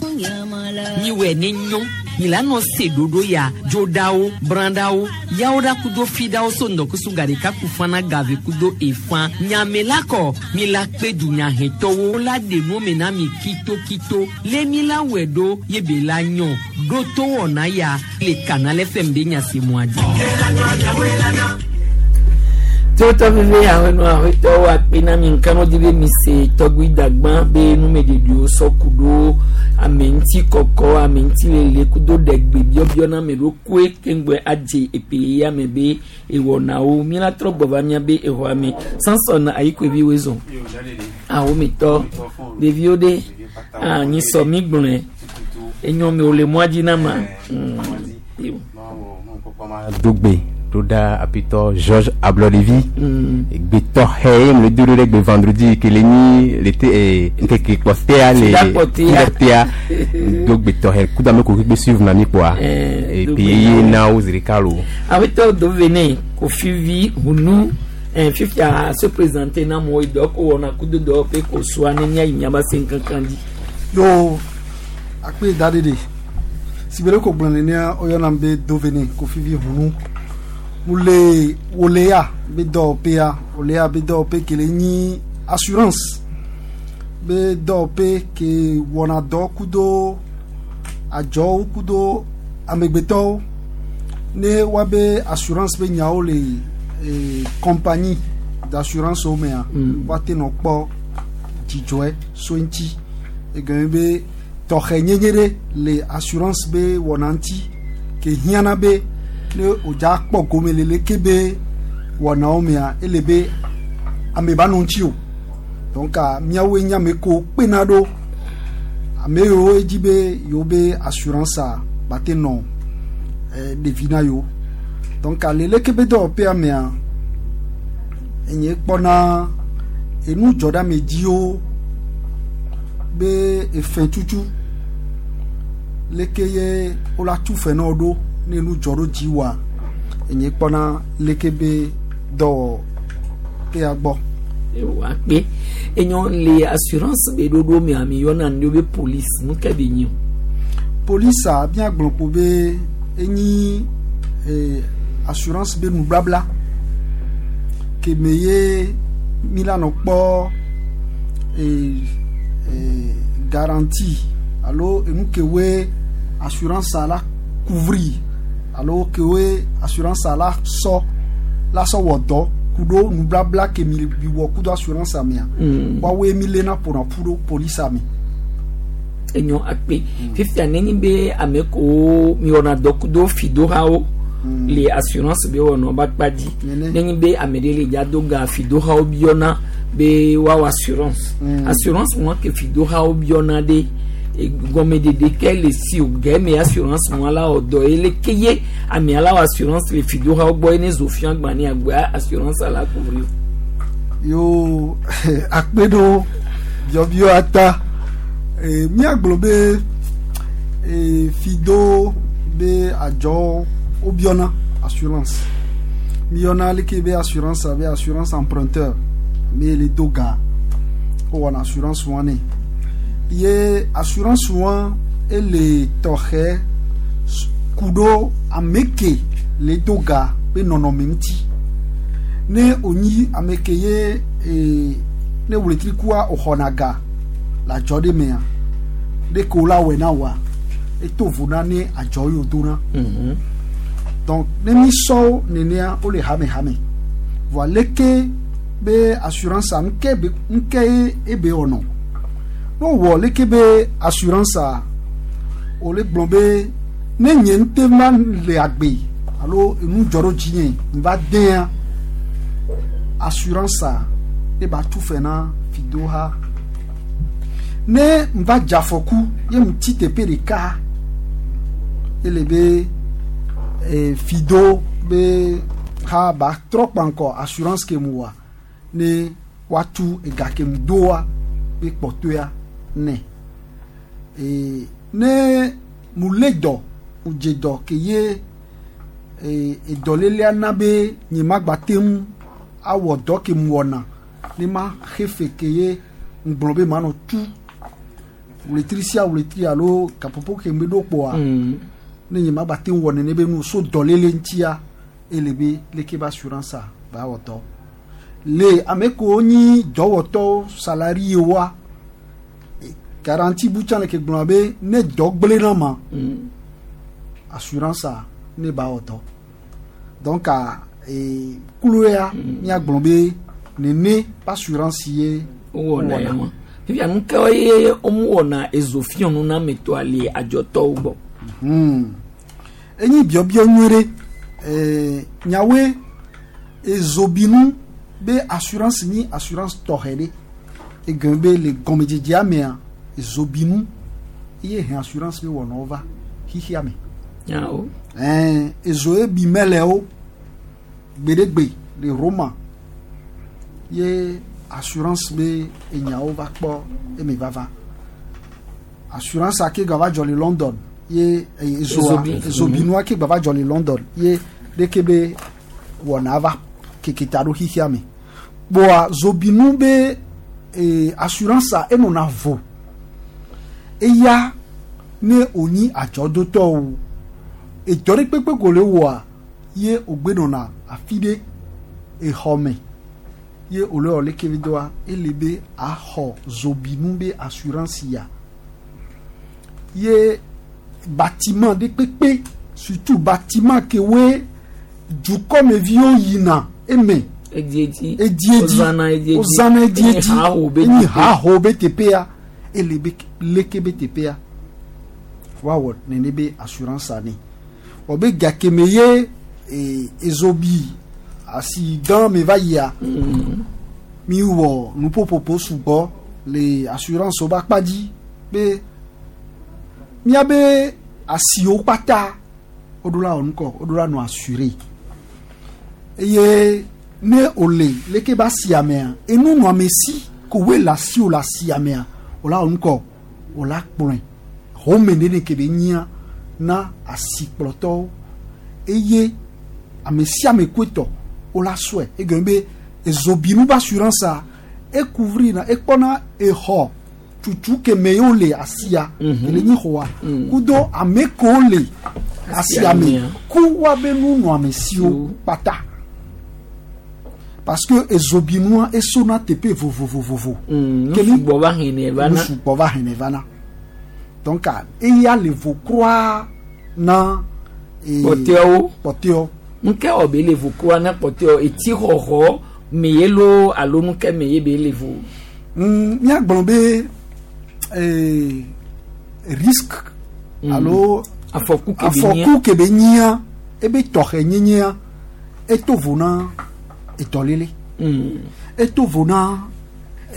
miwɛ ne nyɔ milanɔ se ɖoɖo ya dzoɖawo brãɖawo yawoɖa kudo fiɖawo so ŋdɔkusu gaɖeka ku fana gave kudo efã nyame la kɔ mi la kpe dunyahɛtɔwo la ɖe nuwo me na mi kitokito lé mi la wɔe ɖo ye be la nyɔ ɖo to wɔna ya le Canal FM be nyasemua dzi. Tí ó tọ́ fífi àwọn ẹnu àwọn ètò wa pé náà mi nǹkan náà dídé mi ṣe tọ́gbí dàgbọ́n bẹ́ẹ̀ inú mi dèdè ó sọ kúdó àmì ntí kọ̀kọ́ àmì ntí lele kúdó dẹ̀gbẹ̀ bíọ́bíọ́ náà mi ló kó kéńgbẹ́ adze èpè yá mi bẹ́ èwọ̀ náà ó mi la trɔ gbọ̀va mía bẹ́ èwọ̀ àmì sánsọ̀nà àyíkò ebi wé zɔn àwọn mi tọ́ ɖeviwo ɖe anyi sɔ mi gblɔe enyɔ mi ò le mɔa dzi na ma. Dogbe ɖo ɖa apitɔ Georges Ablɔɖevi gbetɔ xɛ ye mle do ɖo ɖe gbe vendredi ke le nyi le te ŋkeke kpɔtea le Tidakpɔtea. tidakpɔtea do gbetɔ xɛ kudo ame ko kpekpe suivre na mi kpoa Eh, et dogbe puis ye na wo zi ɖeka lo. Awetɔ dovene kofivi hunu fifia se présenter na mo idɔ ko wɔna kudo dɔ pe ko soa ne mia yi miaba se nkankan di. Yo, akpe da ɖeɖe si be ɖe ko gblɔ nenea woyɔna be dovene kofivi hunu mu le wolea be dɔwɔƒea wolea be dɔwɔƒe ke le nyi assurance be dɔwɔƒe ke wɔna dɔ kudo adzɔwo kudo amegbetɔwo ne woabe assurance be nyawo le compagnie d'assurance wo mea woate nɔ kpɔ dzidzɔe so ŋuti egɔme be tɔxɛ nyenye ɖe le assurance be wɔna ŋuti ke hiãna be ne wòdza kpɔ gome le leke be wɔnawo mea ele be ame ba nɔ ŋuti o donc míawoe nye ame kewo kpena ɖo ame yiwo edzi be yewo be assurance a ba te nɔ ɖevi na yewo donc le leke be dɔwɔƒea mea enye kpɔna enu dzɔɖeamedziwo be efɛtutu leke ye wola tu fɛ na wo ɖo ne nu dzɔ ɖo dzi wa enye kpɔna leke be dɔwɔƒea gbɔ. Wa kpe enyɔ le assurance be ɖoɖo mea mi yɔna nu be police nu ke be nyi o. Polisa míagblɔ kpo be enyi assurance be nublabla ke me ye mi la nɔ kpɔ garantie alo enu ke woe assurance la couvrir alo ke woe assurance la sɔ la sɔ wɔ dɔ ku ɖo nublabla ke mi mi wɔ ku ɖo assurance mea woawoe mi lena ƒona ƒu ɖo polisa me. Enyɔ akpe fifia nenyi be ame kowo mi wɔna dɔ kudo fidohawo Le assurance be wɔnɔ ba kpa dzi. Nenye be ame ɖe le dza do ga fidohawo biɔna be woawɔ assurance. Assurance wɔn ke fidohawo biɔna ɖe gɔmeɖeɖe ke le si o gɛmɛ assurance wɔn la wɔ dɔ ye le ke ye amea la wɔ assurance le fidohawo gbɔ ye ne zo fia gbã ne agbea assurance la couvrir. Yo akpe ɖo biɔbiɔ ata míagblɔ be fido be adzɔ wobiɔna assurance míyɔna leke be assurance abe assurance emprunteur me le do ga wowɔna assurance wɔn nɛ ye assurance wɔn ele tɔxɛ ku ɖo ame ke le do ga be nɔnɔme ŋuti ne wònyi ame ke ye ne wletrikua wòxɔna ga le adzɔ ɖe mea ɖeke wo la wɔe na woa eto vo na ne adzɔ yi wòdona. Donc ne mi sɔ nenea wole hame hame voa leke be assurance a ŋke be ŋke ye ebe wɔnɔ ne wowɔ leke be assurance a wòle gblɔ be ne nye ŋute ma le agbe alo enu dzɔ ɖo dzinye va dea assurance a eba tu fɛ na fidoha ne va dze afɔku ye mu ti teƒe ɖeka ele be fido be ha ba trɔ kpankɔ assurance ke mu wa ne woatu ega ke mu doa be kpɔtɔea nɛ ne mu lé dɔ mu dze dɔ ke ye edɔlélea na be nye ma gba te ŋu awɔ dɔ ke mu wɔna ne ma xe fe ke ye ŋgblɔ be manɔ tu wletri sia wletri alo gaƒoƒo ke me ɖo kpoa ne nye ma gba te ŋu wɔ nene be nu so dɔléle ŋutia ele be leke be assurance a ba wɔ dɔ le ame kewo nyi dɔwɔtɔwo salarié woa garantie bu tsã le ke gblɔna be ne dɔ gblẽ na ma assurance a ne ba wɔ dɔ donc klo ya míagblɔ be nene assurance ye wowɔna ya ma fifia nu ke ye womewɔna ezofiɔnu na ametɔa le adzɔtɔwo gbɔ. Enyi biɔbiɔ nyuie ɖe nyawoe ezobinu be assurance nyi assurance tɔxɛ ɖe egɔme be le gɔmedzedzea mea ezobinu ye hɛn assurance be wɔnawo va xixia me. Nyawo. Ezo ye bi mɛlɛwo gbeɖegbe le Roma ye assurance be enyawo va kpɔ eme vava assurance ake gba va dzɔ le London ye ezoa ezobinua ke gba va dzɔ le London ye ɖeke be wɔna va keke ta ɖo xixia me kpoa zobinu be assurance a enɔna vo eya ne wònyi adzɔdotɔwo edɔ ɖe kpekpe ko le wɔa ye wògbe nɔna afi ɖe exɔ me ye wòle wɔ leke vi doa ele be axɔ zobinu be assurance ya ye bâtiment ɖe kpekpe surtout bâtiment ke woe dukɔmeviwo yina eme edziedzi edziedzi wozãna edziedzi wozãna edziedzi enyi haho be enyi teƒe. haho be teƒea ele be leke be teƒea woawɔ nene be assurance ani wɔ be gakeme ye ezobi asi gã me va yia mi wɔ nuƒoƒoƒo sugbɔ le assurance wo be akpa dzi be míabe asiwo kpata woɖo la wɔ nukɔ woɖo la nɔ assuré eye ne wòle leke be asia mea enu nɔame si ko woe le asiwò le asia mea wòla wɔ nukɔ wòla kplɔe home nene ke be nyia na asikplɔtɔwo eye ame sia ame koetɔ wola sɔe egɔme be ezobinu be assurance a ecouvrir na ekpɔna exɔ tutu keme ye wole asia kele nyi xɔa kudo ame kewo le asia me mea. ku woabe nunɔamesiwo kpata parce que ezobinua esona teƒe vovovovovo. Nu Kemi- sugbɔ va hɛnɛ va nu na sugbɔ va hɛnɛ va na donc eya le vo kura na kpɔtɔewo kpɔtɔewo nu ke wɔ be le vo kura na kpɔtɔewo etsi xɔxɔ me ye lo alo nu ke me ye be le vo. Míagblɔ be risque alo Afɔku ke be nyia. Afɔku ke be nyia ebe tɔxɛ nyenyea eto vo na etɔlele eto vo na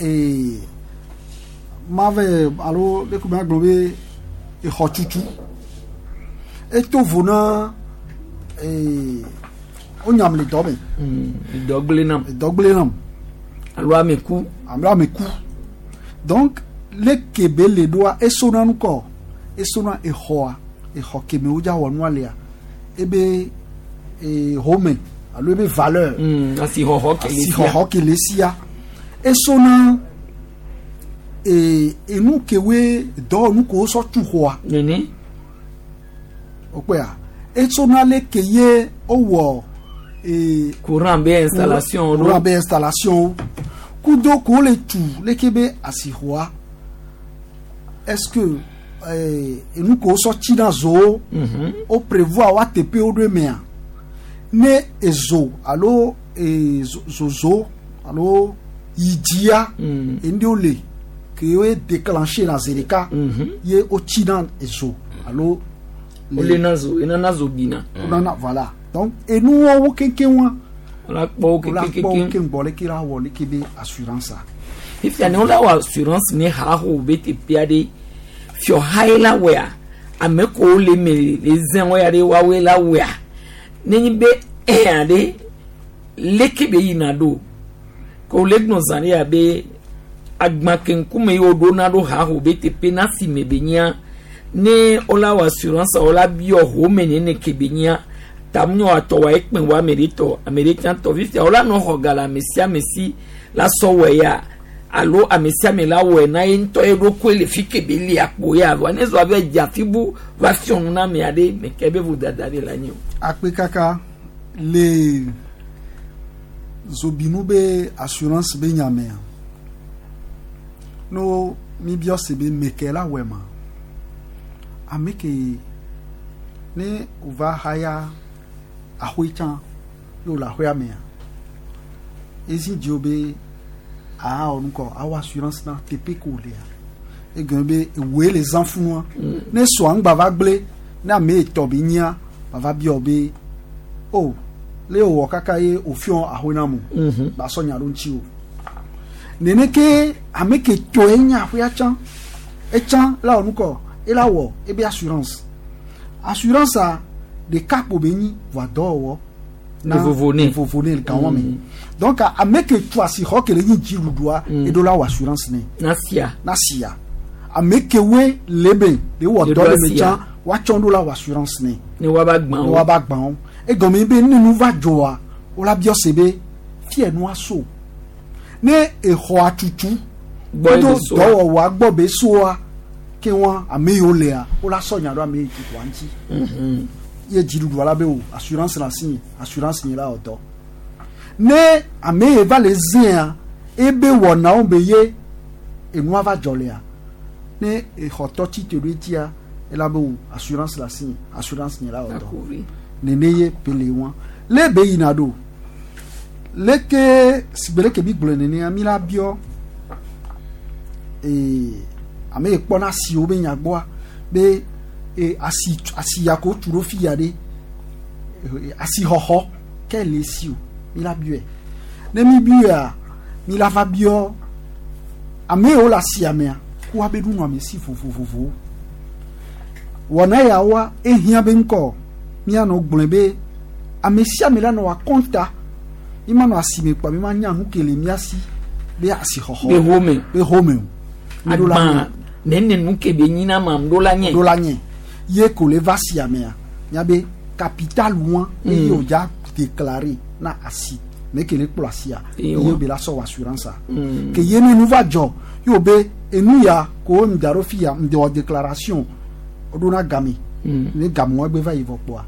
ee mave alo ɖe ko magblɔ be exɔtutu eto vo na ee wonyam le dɔ me. Dɔgble nam. Dɔgble nam. Alo ame ku. Alo ame ku. Donc leke be le ɖoa esona nu kɔ esona exɔa exɔ keme wodza wɔ nua lea ebe ee home alo ebe valeur. Asixɔxɔ ke le sia. Asixɔxɔ ke le sia esona ee enu kewoe dɔwɔnu ko wosɔ tu xɔa. Nene. Wokpɔa esona leke ye wowɔ ee. Courant be installation. Courant be installation kudo ko le tu leke be asixɔa est-ce que enu ko wosɔ tsina zowo wo prévoir wa teƒe wo ɖo emea ne ezo alo zozo alo yidzia enu ɖewo le ke wo déclenché na zi ɖeka ye wotsina ezo alo. Wolena zo enana zo bina. Wonana voilà donc enuwo wo keŋkeŋ wa. Wola kpɔ wo keŋkeŋ. Wola kpɔ wo keŋ gbɔ leke la wɔ leke be assurance a. Fifia ne wola wɔ assurance ne haho be teƒea ɖe fiɔha ye la wɔa ame kowo le eme le zẽ wo ya ɖe woawoe la wɔa nenye be ɛa ɖe leke be yina ɖo ko le gblɔ zã ɖe abe agba ke ŋkume yi woɖona ɖo haho be teƒe na si me be nyia ne wola wɔ assurance wola biɔ home nene ke be nyia tamunyɔ atɔ wa ekpẽ wa ame ɖe tɔ ame ɖe tsã tɔ fifia wola nɔ xɔ ga le ame sia ame si la sɔ wɔ ya alo ame sia ame la wɔe na ye ŋutɔ ye ɖokui le fi ke be li akpo ya vɔ ne zɔ abe dze afi bu va fiɔ nu na ame aɖe meke be vodada ɖe la nyi o. Akpe kaka le zobinu be assurance be nyamea no mi biɔ se be meke la wɔe ma ame ke ne wòva haya axɔe tsã ye wòle axɔea mea ezi dziwo be aa wɔ nukɔ awɔ assurance na teƒe ko wòlea egɔme be ewoe le zã funua ne sɔa ŋgba va gblẽ ne ame etɔ be nyia bava biɔ be o le wòwɔ kaka ye wòfiɔ axɔe na mo ba sɔ nya ɖo ŋuti o nene ke ame ke tɔe nye aƒea tsã etsã la wɔ nukɔ ela wɔ ebe assurance assurance a ɖeka kpo be nyi vɔa dɔwɔwɔ na vovo ne vovo ne gawɔ me donc ame ke tu asixɔ ke le nyi dziɖuɖua eɖo la wɔ assurance ne na sia na sia ame ke woe le be de wɔ dɔ le me tsã woatsɔ ɖo la wɔ assurance ne ne woava gbã wo ne woava gbã wo egɔme be ne nu va dzɔa wola biɔ se be fie nua so ne exɔa tutu kudo dɔwɔwɔa gbɔ be soa ke wa ame yiwo lea wola sɔ nya ɖo ame yi tutua ŋuti ye dziɖuɖua la be o assurance la si assurance nye la wɔ dɔ ne ame yi va le zẽa ebe wɔnawo be ye enua va dzɔ lea ne exɔtɔ tsi te ɖo etia ela be o assurance la si assurance nye la wɔ dɔ nene ye be le wa le be yina ɖo leke sigbe leke mi gblɔe nenea mi la biɔ ame yi kpɔna asiwo be nya gbɔa be asi asi ya ko tu ɖo fi ya ɖe asixɔxɔ ke le si o mi la biɔe ne mi biɔa mi la va biɔ ame yiwo le asia mea ko woabe nunɔame si vovovovowo wɔna yawoa ehiã be ŋkɔ mianɔ gblɔe be ame sia ame la nɔ akɔnta mi ma nɔ asime kpɔ mi ma nya nu ke le mia si be asixɔxɔ be home be home o agba nene nu ke be nyina ma ɖo la nye ɖo la nye ye ko le va sia mea miabe capital wa eye wòdza déclarer na asi me ke le kplɔ asia ye be la sɔ wɔ assurance a ke ye ne nu va dzɔ ye wo be enu ya ko ŋda ɖo fi ya ŋde wɔ déclaration ɖo na game ne game wa gbe va yi vɔ kpɔa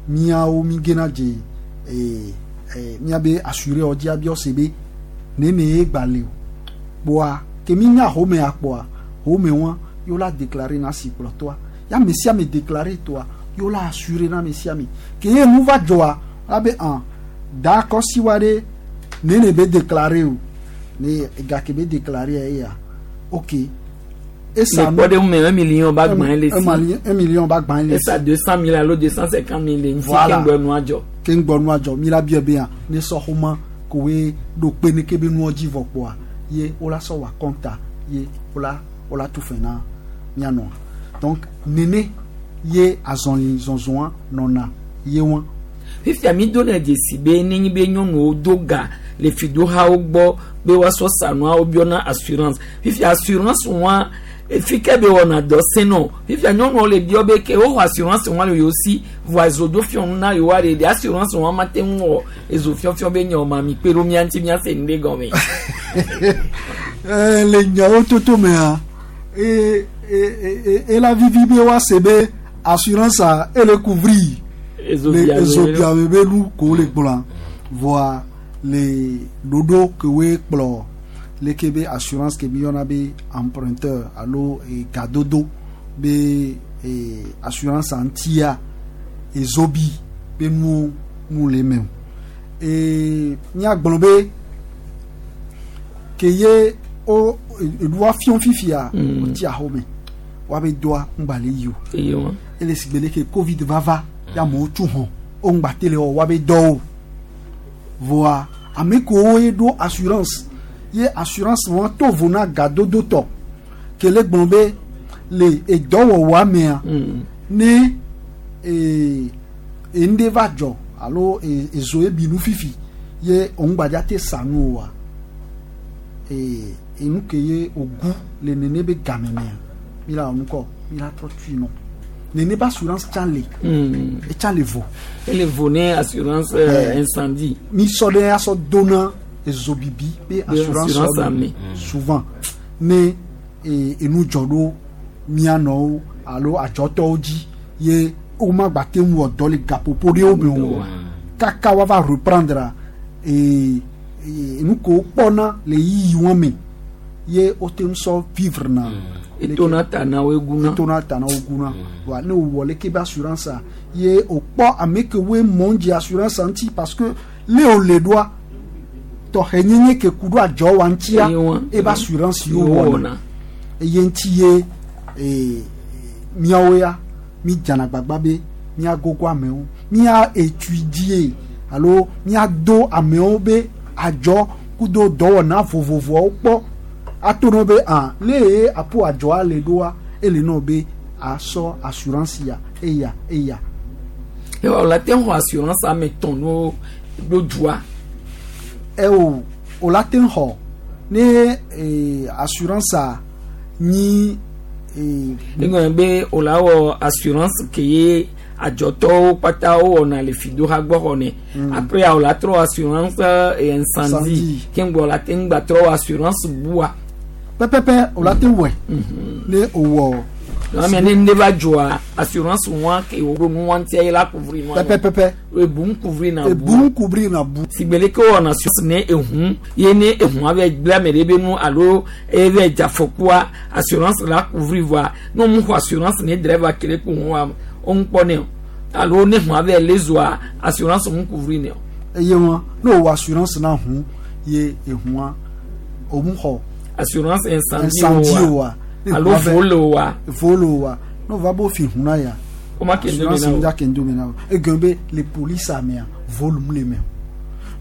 miawo mi gena dze miabe assuré wɔ dzi abiɔ se be nene ye gba le o kpɔa ke mi nya home akpɔa home wa ye la déclarer na si kplɔtɔa ya ame sia ame déclarer tɔa ye la assurer na ame sia ame ke ye nu va dzɔa la be an da kɔsi wa ɖe nene be déclarer o ne ega ke be déclarer eya ok esa Le kpɔɖeŋu me 1 million ba gbã le si. 1 million ba gbã le si. Esa 200 000 alo 250 000 le ŋuti. Voilà. Keŋgbɔ nua dzɔ. Ke ŋgbɔ nua dzɔ mi la biɔ be ya ne sɔ xɔma koe ɖo kpe ne ke be nua dzi vɔ kpoa ye wola sɔ wɔ akɔnta ye wola tu fɛ na mianɔa. Donc nene ye azɔli zɔzɔa nɔna ye wɔn. Fifia mi do ne dzesi be nenye be nyɔnuwo do ga le fidohawo gbɔ be woasɔ sa nua, wobiɔna assurance. Fifia assurance wa fi ke be wɔna dɔ sɛnɔ. Fifia nyɔnuwo le biɔ be ke woxɔ assurance wa le yewo si vɔa ezo do fiɔ nu na yewoa ɖe ɖe assurance wa ma te ŋu wɔ ezo fiɔfiɔ be nye ma mi kpe ɖo mía ŋuti míase nu ɖe gɔme. Le nyawo toto mea e e e ela vivi be woase be assurance a ele couvrir le ezobiame be nu ko le gblɔa vɔa le ɖoɖo ke woe kplɔ leke be assurance ke mi yɔna be emprunteur alo gadodo be assurance ŋutia ezobi be nuwo nu le eme o. Míagblɔ be ke ye wo eɖua fiɔ fifia wotsi axome woabe doa ŋgba le yi o. Eye wa. Ele si gbe leke Covid vava ya amewo tu hɔn wo ŋgba te le wɔ woabe dɔwo vɔa ame kewo ye ɖo assurance ye assurance wɔn to vo na gadodo tɔ ke le gblɔ be le edɔwɔwɔa mea ne ŋɖe va dzɔ alo ezo ebi nu fifi ye òŋgbadza te sa nu oa enu ke ye ogu le nene be game mea mi la wɔ nukɔ mi la trɔ tui nɔ nene be assurance tsã le etsa le vo. Ele vo ne assurance incendie. Mi sɔ ɖe asɔ dona ezobibi be assurance assurance ame ame. Souvent ne enu dzɔ ɖo mianɔwo alo adzɔtɔwo dzi ye woma gba te ŋu wɔ dɔ le gaƒoƒo ɖewo me o kaka woava reprendre enu ke wokpɔna le yiyi wɔn me ye wote ŋu sɔ vivre na. Etona ta na wo eguna. Etona ta na wo guna wa ne wòwɔ leke be assurance a ye wòkpɔ ame ke woe mɔ dzi assurance ŋuti parce que le wòle ɖoa tɔxɛ nyenye ke ku ɖo adzɔ wa ŋutia Eye wa. ebe assurance yewo Yewo wɔna wɔna. eye ŋuti ye míawo ya mi dzana gbagba be míagogo amewo mía étudie alo míado amewo be adzɔ kudo dɔwɔna vovovoawo kpɔ ato no be ah le ye apo adzɔa le ɖoa ele nɔ be asɔ assurance ya eya eya. Ewa wòle te xɔ assurance ame tɔn no ɖo dua. Eo o la te xɔ ne assurance a nyi Egɔme be wòle awɔ assurance ke ye adzɔtɔwo kpata wowɔna le fidoha gbɔ xɔ ne. Après wòle atrɔ assurance incendie. Incendie. Ke ŋgbɔ wòle te ŋgba trɔ assurance bua. Pɛpɛpɛ o la te wɔe ne o wɔ. Ame ne ne va dzɔa assurance wa ke wo nu wa ŋutia ye la couvrir nua. Pɛpɛpɛpɛ. Ebu couvrir na bu. Ebu couvrir na bu. Sigbele ke wɔna assurance ne ehun ye ne ehun ave gblẽ ame ɖe be nu alo eve dze afɔkua assurance la couvrir voa ne wo xɔ assurance ne driver ke ɖe ko ŋu wa wo ŋu kpɔ ne o alo ne hun ave le zoa assurance ŋu couvrir ne o. Eye wɔn ne o wɔ assurance na hun ye ehua o mu xɔ assurance incendie incendie o wa wa alo vol o wa. Vol o wa ne o va bo fi hun na ya o ma ke ndo assurance me na ŋu o. dza ke ndo me na o egɔme be le police amea vol mu le me o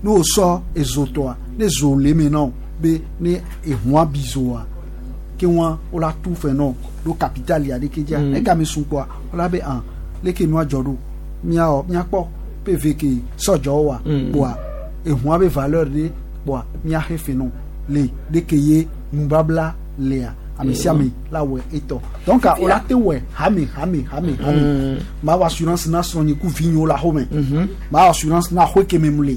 ne o sɔ ezotɔa ne zo le me na o be ne ehua bi zoa ke wɔn o la tu fɛ nɔ ɖo capital ya ɖeke dzia egame sun kpɔa o la be ah leke nua dzɔ ɖo miawɔ miakpɔ pv ke sɔdzɔ wa kpɔa ehua be valeur ɖe kpɔa miaxe fɛ nɔ le ɖeke ye nubabla lea ame sia ame la wɔ etɔ donc o la te wɔ hame hame hame hame ma wɔ assurance na srɔ̃nye ku vinyewo le axome ma wɔ assurance na axɔe keme mu le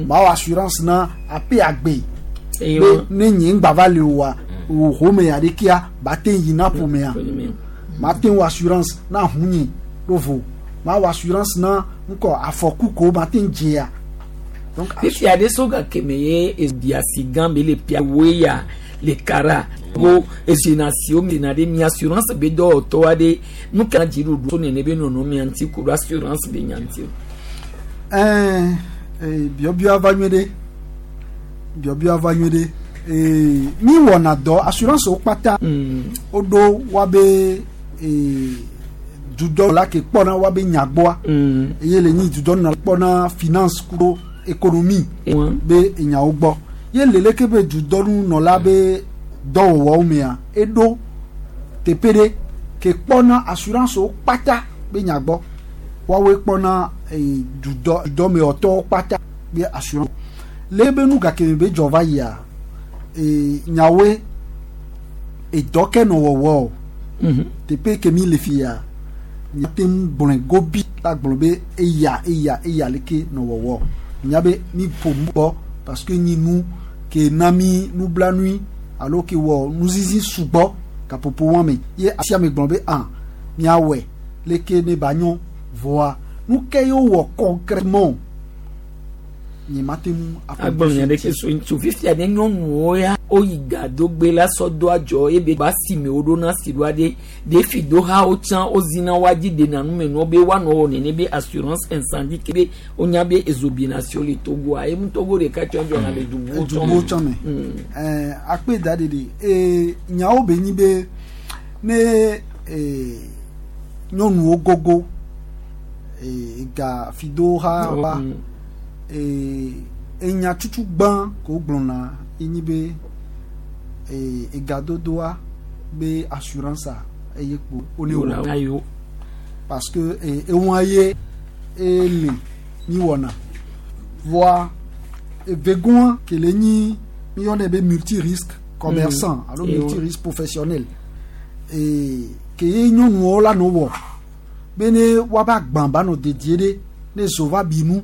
ma wɔ assurance na ape agbe Eye be wa. ne nye ŋgba va le oa o home ya ɖekea ba te yi na ƒomea ma te wɔ assurance na hunye ɖo vo ma wɔ assurance na ŋkɔ afɔku ko ma te dzea donc fifia ɖe so gake me ye ebiasi gã be le pia woe ya le kara wo ezina si wo mina ɖe mi assurance be dɔwɔtɔ aɖe nu ka dziɖuɖu so nene be nɔnɔmea ŋuti ku ɖo assurance be nya ŋuti o. Ɛɛ biɔbiɔ va nyuie ɖe biɔbiɔ va nyuie ɖe. Mi wɔna dɔ assurance wo kpata woɖo woabe dudɔ la ke kpɔna woabe nyagbɔa eye le nyi dudɔ nɔ kpɔna finance kudo économie be enyawo gbɔ ye le leke be dudɔnunɔla be dɔwɔwɔwo mea eɖo teƒe ɖe ke kpɔna assurance wo kpata be nyagbɔ woawoe kpɔna dudɔ dudɔmewɔtɔwo kpata be assurance le be nu gake me be dzɔ va yia nyawoe edɔ ke nɔ wɔwɔ o teƒe ke mi le fia míate ŋu gblɔe gobi la gblɔ be eya eya eya leke nɔ wɔwɔ nya be mi ƒo nu gbɔ parce que nyi nu ke na mi nublanui alo ke wɔ nuzizi sugbɔ gaƒoƒo wɔn me ye asia me gblɔ be ah miawɔe leke ne ba nyɔ vɔa nu ke ye wɔ concrètement nye ma te ŋu agblɔ nya ɖeke so ŋutsu fifia ne nyɔnuwo ya woyi gadogbe la sɔ do adzɔ ebe ba si me woɖo na si ɖoa ɖe ɖefi do ha wotsã wozina woadzi ɖena numenuwo be woanɔ wɔ nene be assurance incendie ke be wonya be ezobinasio le Togoa emu Togo ɖeka tsɔ dzɔna le dubuwo tsɔ dubuwo tsɔ me ɛɛ akpe da ɖeɖe ee nyawo be nyi be ne nyɔnuwo gogo ga fi do ha ba enya tutu gbã ko gblɔna enyi be egadodoa be assurance a eye kpo wone wɔ parce que ewa ye ele mi wɔna voa evegoa ke le nyi mi yɔnɛ be multi risque commerçant alo multi risque professionnel ke ye nyɔnuwo la no wɔ be ne woabe agbã ba nɔ dedie ɖe ne zo va bi nu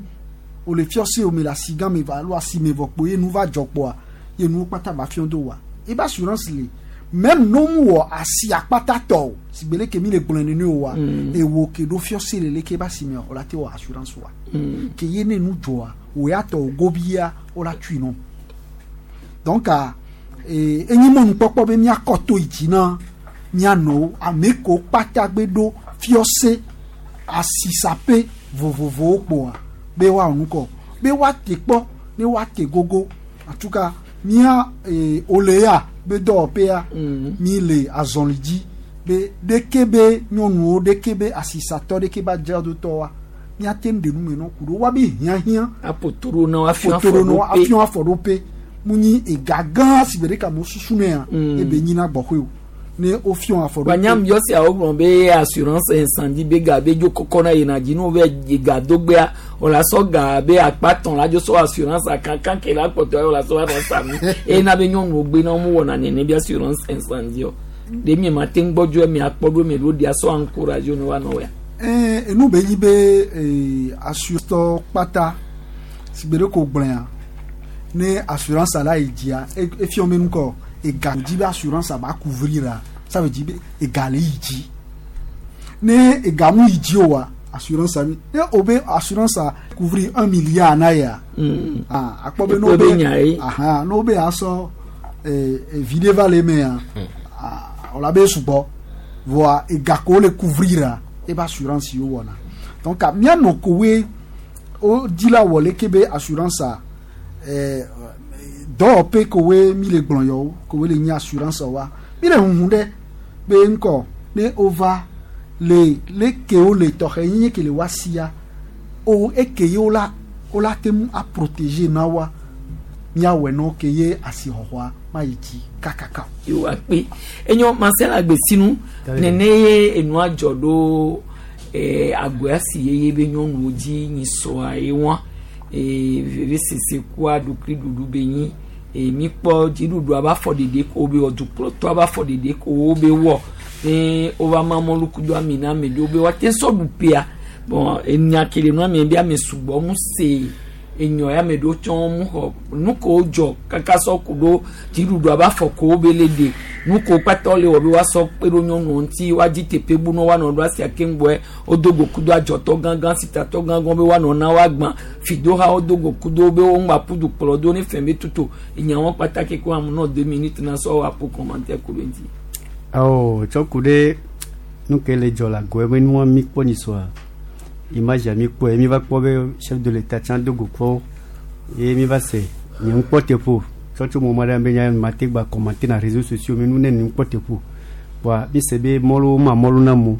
o le fiɔse o me le asi gã me va alo asi me vɔ kpo ye nu va dzɔ kpoa ye nuwo kpata va fiɔ do wa ebe assurance le même no mu wɔ asi akpata tɔ o si gbe leke mi le gblɔe nene o wa ewo ke ɖo fiɔse le leke ebe asi me o la te wɔ assurance wa ke ye ne nu dzɔa o ya tɔ o gobia o la tui nɔ donc enyi mɔnukpɔkpɔ be miakɔ to yi dzi na mianɔwo ame ko kpata gbe ɖo fiɔse asisaƒe vovovowo kpoa be woawɔ nukɔ be woate kpɔ ne woate gogo en tout cas mía ole ya be dɔwɔƒea mi le azɔli dzi be ɖeke be nyɔnuwo ɖeke be asisatɔ ɖeke be adzradotɔwoa míate ŋu ɖe nu me nɔ ku ɖo woabe hiãhiã apotoro na afiɔ afiɔ afɔɖoƒe mu nyi ega gã si gbe ɖeka mo susu nea ebe nyina gbɔxɔe o ne wofiɔ afɔɖoƒe. Wanyam yɔ sia wogblɔ be assurance incendie be ga be dzo kɔkɔ na yina dzi ne wo be ga dogbea wòle sɔ ga be akpa tɔn la dzo sɔ assurance akankan ke la kpɔtɔ ye wòle sɔ va sa nu eye na be nyɔnuwo gbe na wo wɔna nene be assurance incendie o ɖe mi ma te ŋu gbɔdzɔ mi akpɔ ɖo mi ɖo ɖia sɔ encourage ne woanɔ ya. Enu be nyi be assurance kpata si gbe ɖe ko gblɔa ne assurance la yi dzia efiɔ me nukɔ ega dzi be assurance ba couvrir la ça veut dire be ega le yi dzi ne ega mu yi dzi o wa assurance mi ne o be assurance a couvrir 1 milliard na ya ah akpɔ be n'o be ahan n'o be asɔ viɖe va le mea o la be sugbɔ voa ega ko le couvrir la ebe assurance yi wɔna donc mianɔ kowoe o di la wɔ leke be assurance a dɔwɔƒe kowoe mi le gblɔ yɔwo kowoe le nyi assurance wa mi le huhu ɖe be ŋkɔ ne wova le leke wo le tɔxɛ nye ke le wa sia o eke ye wo la wo la te ŋu a protéger na wa miawɔe nɔ ke ye asixɔxɔa ma yi dzi kakaka. Yewo akpe enyo Marcel Agbesinu nene ye enua dzɔ ɖo agoa si yeye be nyɔnuwo dzi nyi sɔa ye wa veve sese kua ɖokui ɖuɖu be nyi mi kpɔ dziɖuɖu aba afɔ ɖeɖe ko be wɔ dukplɔtɔ aba afɔ ɖeɖe ko wo be wɔ ne wova ma mɔluku do ami na ame ɖewo be woate sɔ ɖu ƒea bon enya ke le nua mi be ame sugbɔ mu se enyɔ ya ame ɖewo tsɔ mu xɔ nu ko dzɔ kaka sɔ ku ɖo dziɖuɖu aba afɔ ko wo be le ɖe nu ko kpata le wɔ be woasɔ kpe ɖo nyɔnuwo ŋuti woadzi teƒe bu ne woanɔ ɖo asia keŋgbɔe wodo go kudo adzɔtɔ gãgã sitatɔ gãgã be woanɔ na woagbã fidoha wodo go kudo be wo ŋgba ƒu du kplɔ do ne fɛn be tutu enyawo kpata ke ko amu nɔ 2 minutes na sɔ apo commentaire ku ɖe ŋuti. Awɔ tsɔ ku ɖe nu ke le dzɔ le agoe be nua mi kpɔ nyi sɔa image ya mi kpɔe mi va kpɔ be chef de l'état tsã do go kpɔ ye mi va se nye ŋu kpɔ teƒo. Tsɔtso mo ma ɖe be nya ma te gba commenter na réseaux sociaux me nu ne nu kpɔ teƒo. Wa mi se be mɔlu ma mɔlu na mo.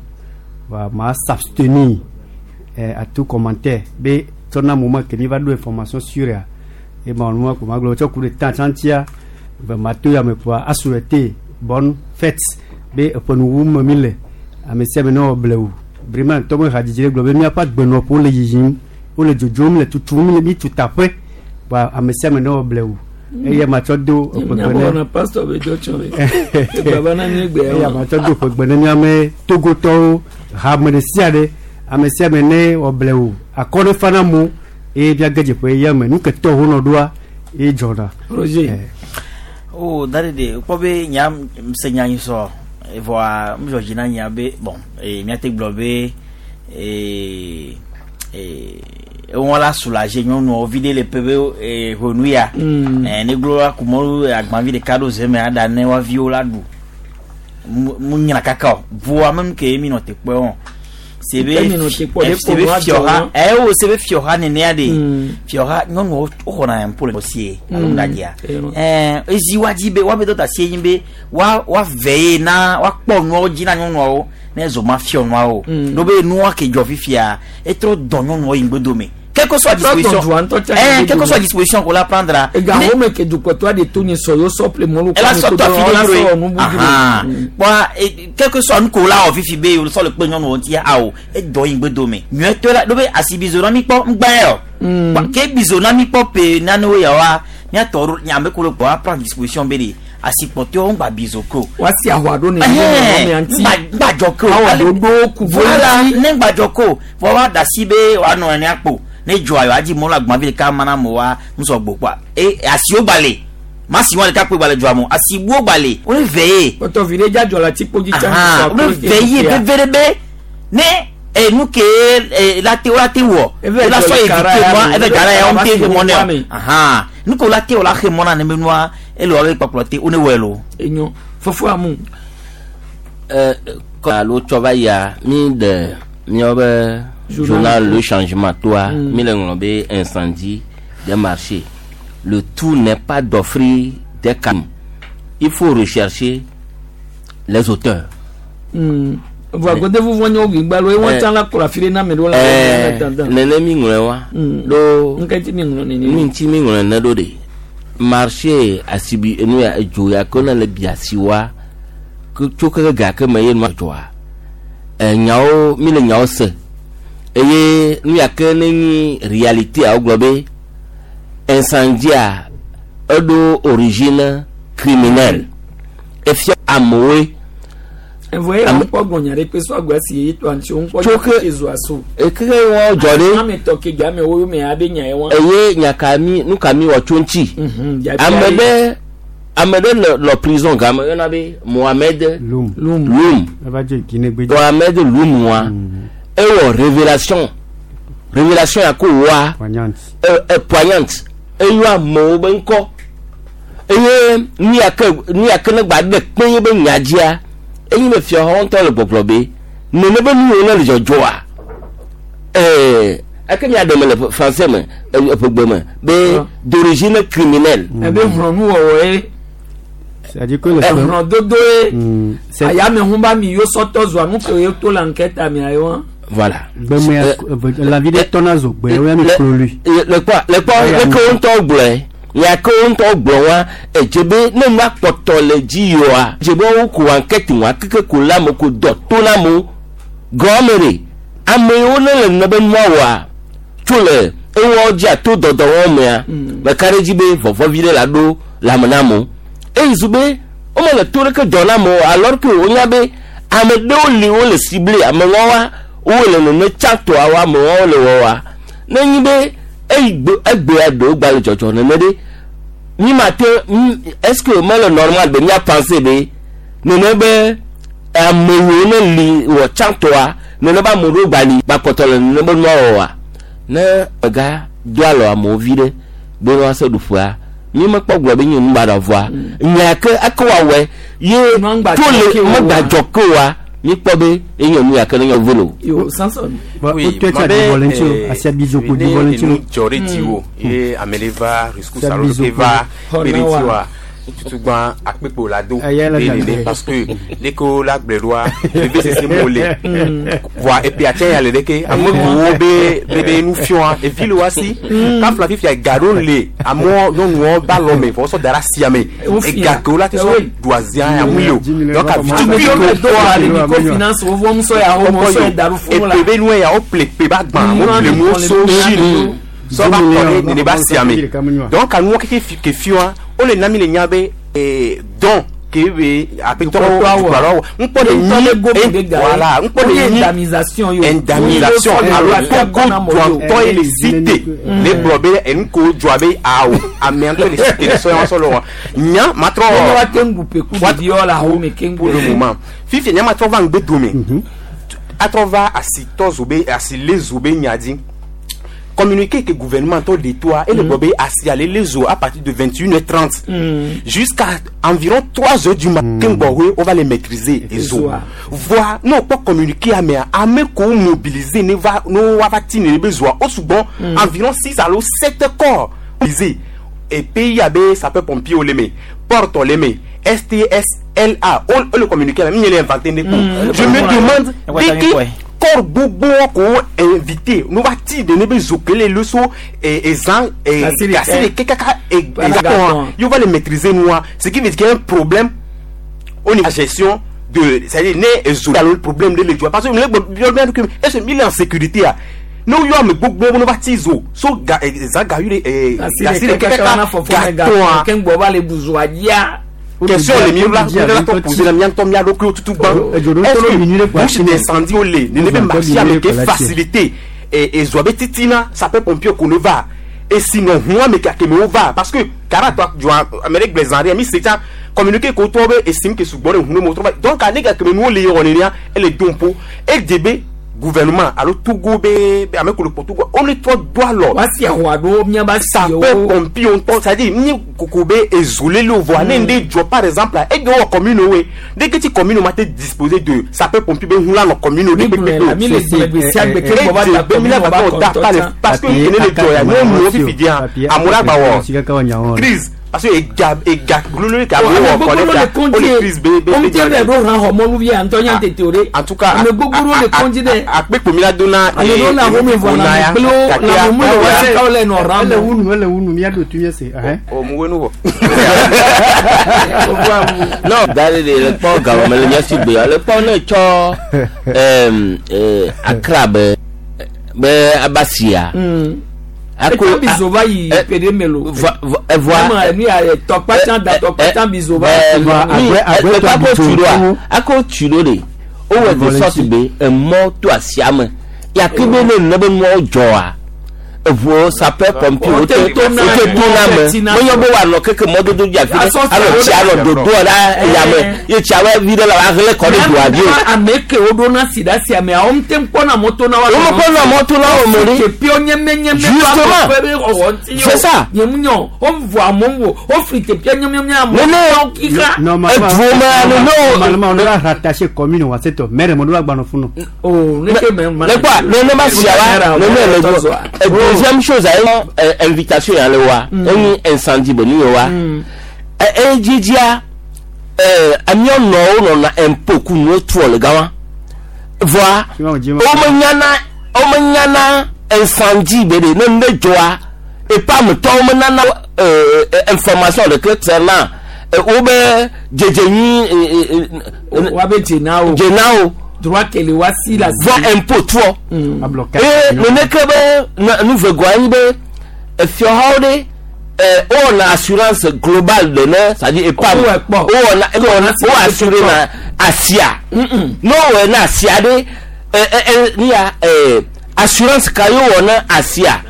Wa ma s'abstenir à tout commentaire be tsɔna mo ma ke mi va ɖo information sur ya. E ma nu ma ko ma gblɔ tsɔ ku ɖe temps tsantia be ma to ya me kpoa a souhaiter bonne fête be eƒe nuwu me mi le ame sia ame ne wɔ blewu vraiment tɔmɔ hadzidzi ɖe gblɔ be míaƒe agbenɔƒewo le yiyim wole dzodzom le tutum le mi tu taƒe wa ame sia ame ne wɔ blewu eye matsɔ do eƒegbe ne pastor be dɔ tsɔ be egbaba na mi egbe eye matsɔ do eƒegbe ne míame togotɔwo hame ɖe sia ɖe ame sia ame ne wɔ blewu akɔ ne fa na mo eye míage dze ƒe ya me nu ke tɔ wo nɔ ɖoa eye dzɔna. Roger. O dare de kpɔ be nya se nya nyi sɔ evɔa mdzɔ dzi na nya be bon e míate gblɔ be e e ewɔn la soulager nyɔnuwo vi ɖe le ƒe be e ʋenu ya ne gblɔ la kumɔlu agbavi ɖeka ɖo zeme aɖa ne woaviwo la ɖu mu nyina kaka o voa menu ke mi nɔ te kpɔe wɔn sebe sebe fiɔha ɛwo sebe fiɔha nenea de fiɔha nyɔnuwo woxɔna yɛn po le sie alo ŋgadzia ɛɛ ezi wa dzi be woabe dɔta sie nyi be wa wa vɛ ye na wa kpɔ nuawo dzi na nyɔnuawo ne zɔ ma fiɔ nuawo no be nua ke dzɔ fifia etrɔ dɔ nyɔnuawo yi ŋgbedome quelle que soit disposition quelle que soit disposition qu'on la prendra. Ega home ke dukɔtɔ de to nye sɔ yo sɔ ple mɔlu elle a sɔ tɔ fi de duro bon quel que soit nu ko la wɔ fifi be o sɔ le kpe nyɔnuwo ŋuti awo edɔ yi ŋgbedome nyuietɔ la do be asi bizo na mi kpɔ ŋgbã yɛ o ke bizo na mi kpɔ pe nanewo ya wa miatɔ ɖo nyame ko le kpɔ aprendre disposition be de asikpɔtɔwo ŋgba bizo ko. Wasi ahwa ɖo ne nyɔnuwo ŋuti ŋgbadzɔ ko awɔ ɖoɖo ku voilà ne ŋgbadzɔ ko vɔ wa da si be wòanɔ ene akpo ne dzɔa yɔ adzi mɔlu agbavi ɖeka mana mo wa ŋusɔ gbɔ kpoa e asiwo gbalẽ masi wɔn ɖeka kpe gbalẽ dzɔa mo asibuwo gbalẽ wole vɛ ye. Kpɔtɔ vi ɖe dza dzɔ le atikpo dzi tsã. Wole vɛ ye veve ɖe be ne enu ke la te la te wɔ la sɔ éviter mɔ eve dza la ya wɔn te xe mɔ nɛ o nu ke la te wɔ la xe mɔ na ne be nua ele wɔ be kpakplɔ te wo ne wɔe lo. Enyo fofo amu. Alo tsɔ va yia mi de miawo be journal Le Changement toi mi le ŋlɔ be incendie des marchés le tout n'est pas d'offrir des camions, il faut rechercher les auteurs. Voa gode vuvu nye wo gbalo ewɔn tsã la kplɔ afi ɖe na ame ɖewo la nene mi ŋlɔe wa ɖo ŋkɛ mi ŋlɔ nene nu ŋuti mi ŋlɔe ne ɖo de marché asibi enu ya edzo ya ke ne le biasi wa tso keke ga ke me ye nua dzɔa nyawo mi le nyawo se eye nu ya ke ne nyi réalité a wogblɔ be incendie eɖo origine criminelle efia amewoe. Evoye ŋkpɔ gbɔnya ɖe kpe sɔ agba si ye to antsi ŋkpɔ Tso ke zo aso. Ekeke wɔn dzɔ ɖe. Ame tɔ ke game wo me abe nya ye wɔn. Eye nyaka mi nu ka mi wɔ tso ŋuti. Ame ɖe le prison game yɔna be Mohamed Loum. Loum. Mohamed Loum wa ewɔ révélation ya ko wa poignante eyɔ amewo be ŋkɔ eye nu ya ke ne gba ɖe kpe ye be nya dzia. Eyi me fia xɔ ŋutɔ le gbɔgblɔ be nene be nuwo ne le dzɔdzɔa eke mia ɖe me le français me eƒegbe me be d'origine criminelle. Ebe hlɔnuwɔwɔ ye hlɔdodo ye ayamehu ba mi yo sɔtɔ zɔa nu ke ye to la ŋkɛ ta mia ye wa. Voilà. La vie de tɔna zo gbe wo ya mi klo lui. Le kpɔ leke wo ŋutɔ gblɔe. Nyake wo ŋutɔ gblɔ wa edze be ne nua kpɔtɔ le dzi yioa dze be wo ko ankɛti wa keke ko la me ko dɔ to na mo gɔme ɖe ame yiwo ne le nene be nua wɔa tso le ewɔ dzi ato dɔdɔwɔ mea meka ɖe dzi be vɔvɔvi ɖe la ɖo lãme na amewo eye zu be wome le to ɖeke dɔ na amewo alors que wonya be ame ɖewo li wole ciblé ame wɔwa wole nene tsãtɔa wa ame wɔwo le wɔwa ne nyi be eyi egbea ɖewo gba le dzɔdzɔ nene ɖe mi ma te est-ce que mele normal be mia penser be nene be amewo ne li wɔ tsãtɔa nene be ame ɖewo gba li gbakpɔtɔ le nene be nua wɔwa ne ega do alɔ amewo vi ɖe be ne woase ɖuƒea mi mekpɔ gblɔ be nye nu baɖa vɔa nya ke eke woawɔe ye to le megbadzɔ ke oa Mi kpɔ be enye nu ya ke ne nye volo. Yo Samson. Bon, o tɛ tsa di volontiers asia bizoko di volontiers. Nu dzɔ ɖe dziwò ye ame ɖe va rescousse Sia alo bizoko. ke va Xɔ kpe na ɖe wa. dziwòa tutugba akpekpe la do Eya la Ɖe dza ɖe ɖe. parce que leke wo la gblɔe ɖoa veve sese mo le voa epea tsɛ ya le ɖeke ame buwo be be be nu fiɔa evi le wa si kafla fifia ga ɖo le amewo nyɔnuwo ba lɔ me vɔ wosɔ da ɖe asia me Wo fia. ega ke wo la te sɔ Eh oui. ɖu azia ya ŋu le o Dix donc millions, avi Ame tukui ɖewo ke le do wokpɔa ale Yo, microfinance wo vɔm sɔ ya wo mɔ sɔ ya da ɖo fún la. epe be nue ya wople pe ba gbã wople nuwo so Chine sɔ va kɔ ɖe nene ba sia me donc anuwo keke fi ke fiɔa wole na mi le nya be dɔn ke be aƒetɔ dukplɔlawo ŋkpɔ le nyi voilà ŋkpɔ le nyi indemnisation yo. indemnisation alo koko duatɔ ye le cité le gblɔ be enu ko dzɔa be awo amea ŋutɔ le cité le sɔ ya sɔ le wa nya matrɔ Ne wa te ŋgu pe ku ɖevi yɔ la ho me ke pour le ŋgu. moment fifi nya matrɔ va ŋgbe dome atrɔ va asitɔ zobe asile zobe nya dzi communiqué que gouvernement tɔ de toa et le gblɔ be asi ale le zo à partir de 21h30 jusqu'à environ 3 heures du matin gbɔwoe on va les maîtriser ezo Ezoa. voa ne wokpɔ communiqué amea ame kowo mobiliser ne va ne woava ti ne be zoa wo sugbɔ environ 6 alo 7 corps mobilisés et pays abe sapeur pompier wo le me porte le me STSLA wo le communiqué la mi nye le inventé ne ko je me demande dès que corps gbogbo ko invité no va ti de ne be zokele le so ezan Kasi le kasi le kɛ. kɛ kaka Voilà, exactement gâton. il va les maîtriser nous ce qui veut dire qu'il y a un problème au niveau de la gestion de c'est-à-dire ne ezo le problème de l'étude parce que ne que est-ce qu'il est en sécurité ah no yo ame gbogbo no va ti zo so ga ezan ga yu le Kasi kasi le le kɛ kɛ kaka wana fɔfɔ mɛ gâton ga ke ŋgbɔ va le buzoa dzia. Question le mi la mi la tɔ poser la mi tɔ mi alo kulo tutu gbã Edzo ɖo tɔ minuit le bouche d'incendie wo le nene be marché ame ke facilité ezoa be titina sapeur pompier ko ne va esi nɔ hun ame ke keme wo va parce que kara tɔ dzɔa ame ɖe gblẽ zã ɖe mi se tsa communiqué ko tɔ be esi mi ke sugbɔ ɖe hun ne mo trɔ va donc ane ka keme nuwo le yɔ nenia ele do ƒo edze be gouvernement alo Togo be be ame ko le kpɔ Togo wo ne trɔ do alɔ Wa si ahoa ɖo miaba si sapeur wo. pompier ŋutɔ c'est-à-dire ni koko be ezolele o vɔa ne ŋde dzɔ par exemple la eɖe wɔ commune woe ɖeke ti commune ma te disposer de sapeur pompier be ŋu la nɔ commune wo Mi de gblɔe la mi le gblɔe gbe sia gbe ke ŋgbɔ va ta be mi la commune va va tɔ da kɔntɔ pa le tsã. parce que kene le dzɔ ya nyɔnuwo fifi dia amewo la gba wɔ crise parce que ega ega glolo ke amewo Ame wɔ kɔ gbogbo ɖe le ta kɔndzi wo le crise be be ye be ŋuti le ɖo hã xɔ mɔluvi ya ŋutɔ nya tete o ɖe. en tout cas ame gbogbo ɖewo le kɔndzi ɖe. akpekpe mi la do na Ame ɖewo le ahome vɔ lãme kple wo lãme mu le wo sikawo le nɔ rã ele me. wunu ele wunu miaɖo tu mía se ɛhɛn. o mu we nu vɔ. non da de le kpɔ gawɔme le nyasi gbe le kpɔ ne tsɔ ɛm, Accra be be abasia Ako bizo va yi pede melo. evoa Ama enu ya tɔkpa tsã da tɔkpa tsã bizo va. Agbe- akɔ agbe tu tɔ ɖoa bizo. akɔ tu ɖo de wowɔ de sorte be emɔ to asia me yake be ne nene be nuawo dzɔa eʋuwo sapeur pompier wote Wote to na- wote to na me tina- menye be woanɔ keke mɔdodo dzi afi ɖe Asɔ alɔ siawo tsia ɖe- alɔ dodoa ɖa yame ye tsia be vi ɖe la woahlẽ kɔ ɖe doa dzi o. Ame ke wo ɖo na si ɖe asia mea wo ŋute kpɔna mɔto na wa. Womekpɔna mɔto na wo me ɖe. Teƒewo nyemienyemie. Justement. ƒe be xɔxɔ ŋuti C'est ça. Nye mu nyɔ wo vɔ amewo wo wo fli teƒea nyemiemie amewo. Nene. kika. Normalement, Eduo me, no. normalement, on doit rattacher commune wa c'est tout. Maire mo doit gbano funu. Oh ne ke mɛ Ne quoi, ne ne ma sia wa, ne ne le go. Et deuxième chose, ayi invitation ya le wa, enyi incendie be nu ye wa. E dzidzia, amiɔ nɔwo nɔna impôt ku nuwo tuɔ le gama. Voa, womenyana womenyana incendie be de ne nu ɖe dzɔa, epa ametɔwo menana information ɖeke concernant wobe dzedze nyui. Wa be dzena o. Dzena o. Droit kele wa si la si. Vɔ impôt tuɔ. Eye neneke be nuvegoa nyi be efiɔhawo ɖe wowɔna assurance globale de ne c'est-à-dire épargne wowɔna wo assuré na asia ne wowɔe na asia ɖe nia assurance ka ye wowɔ na asia.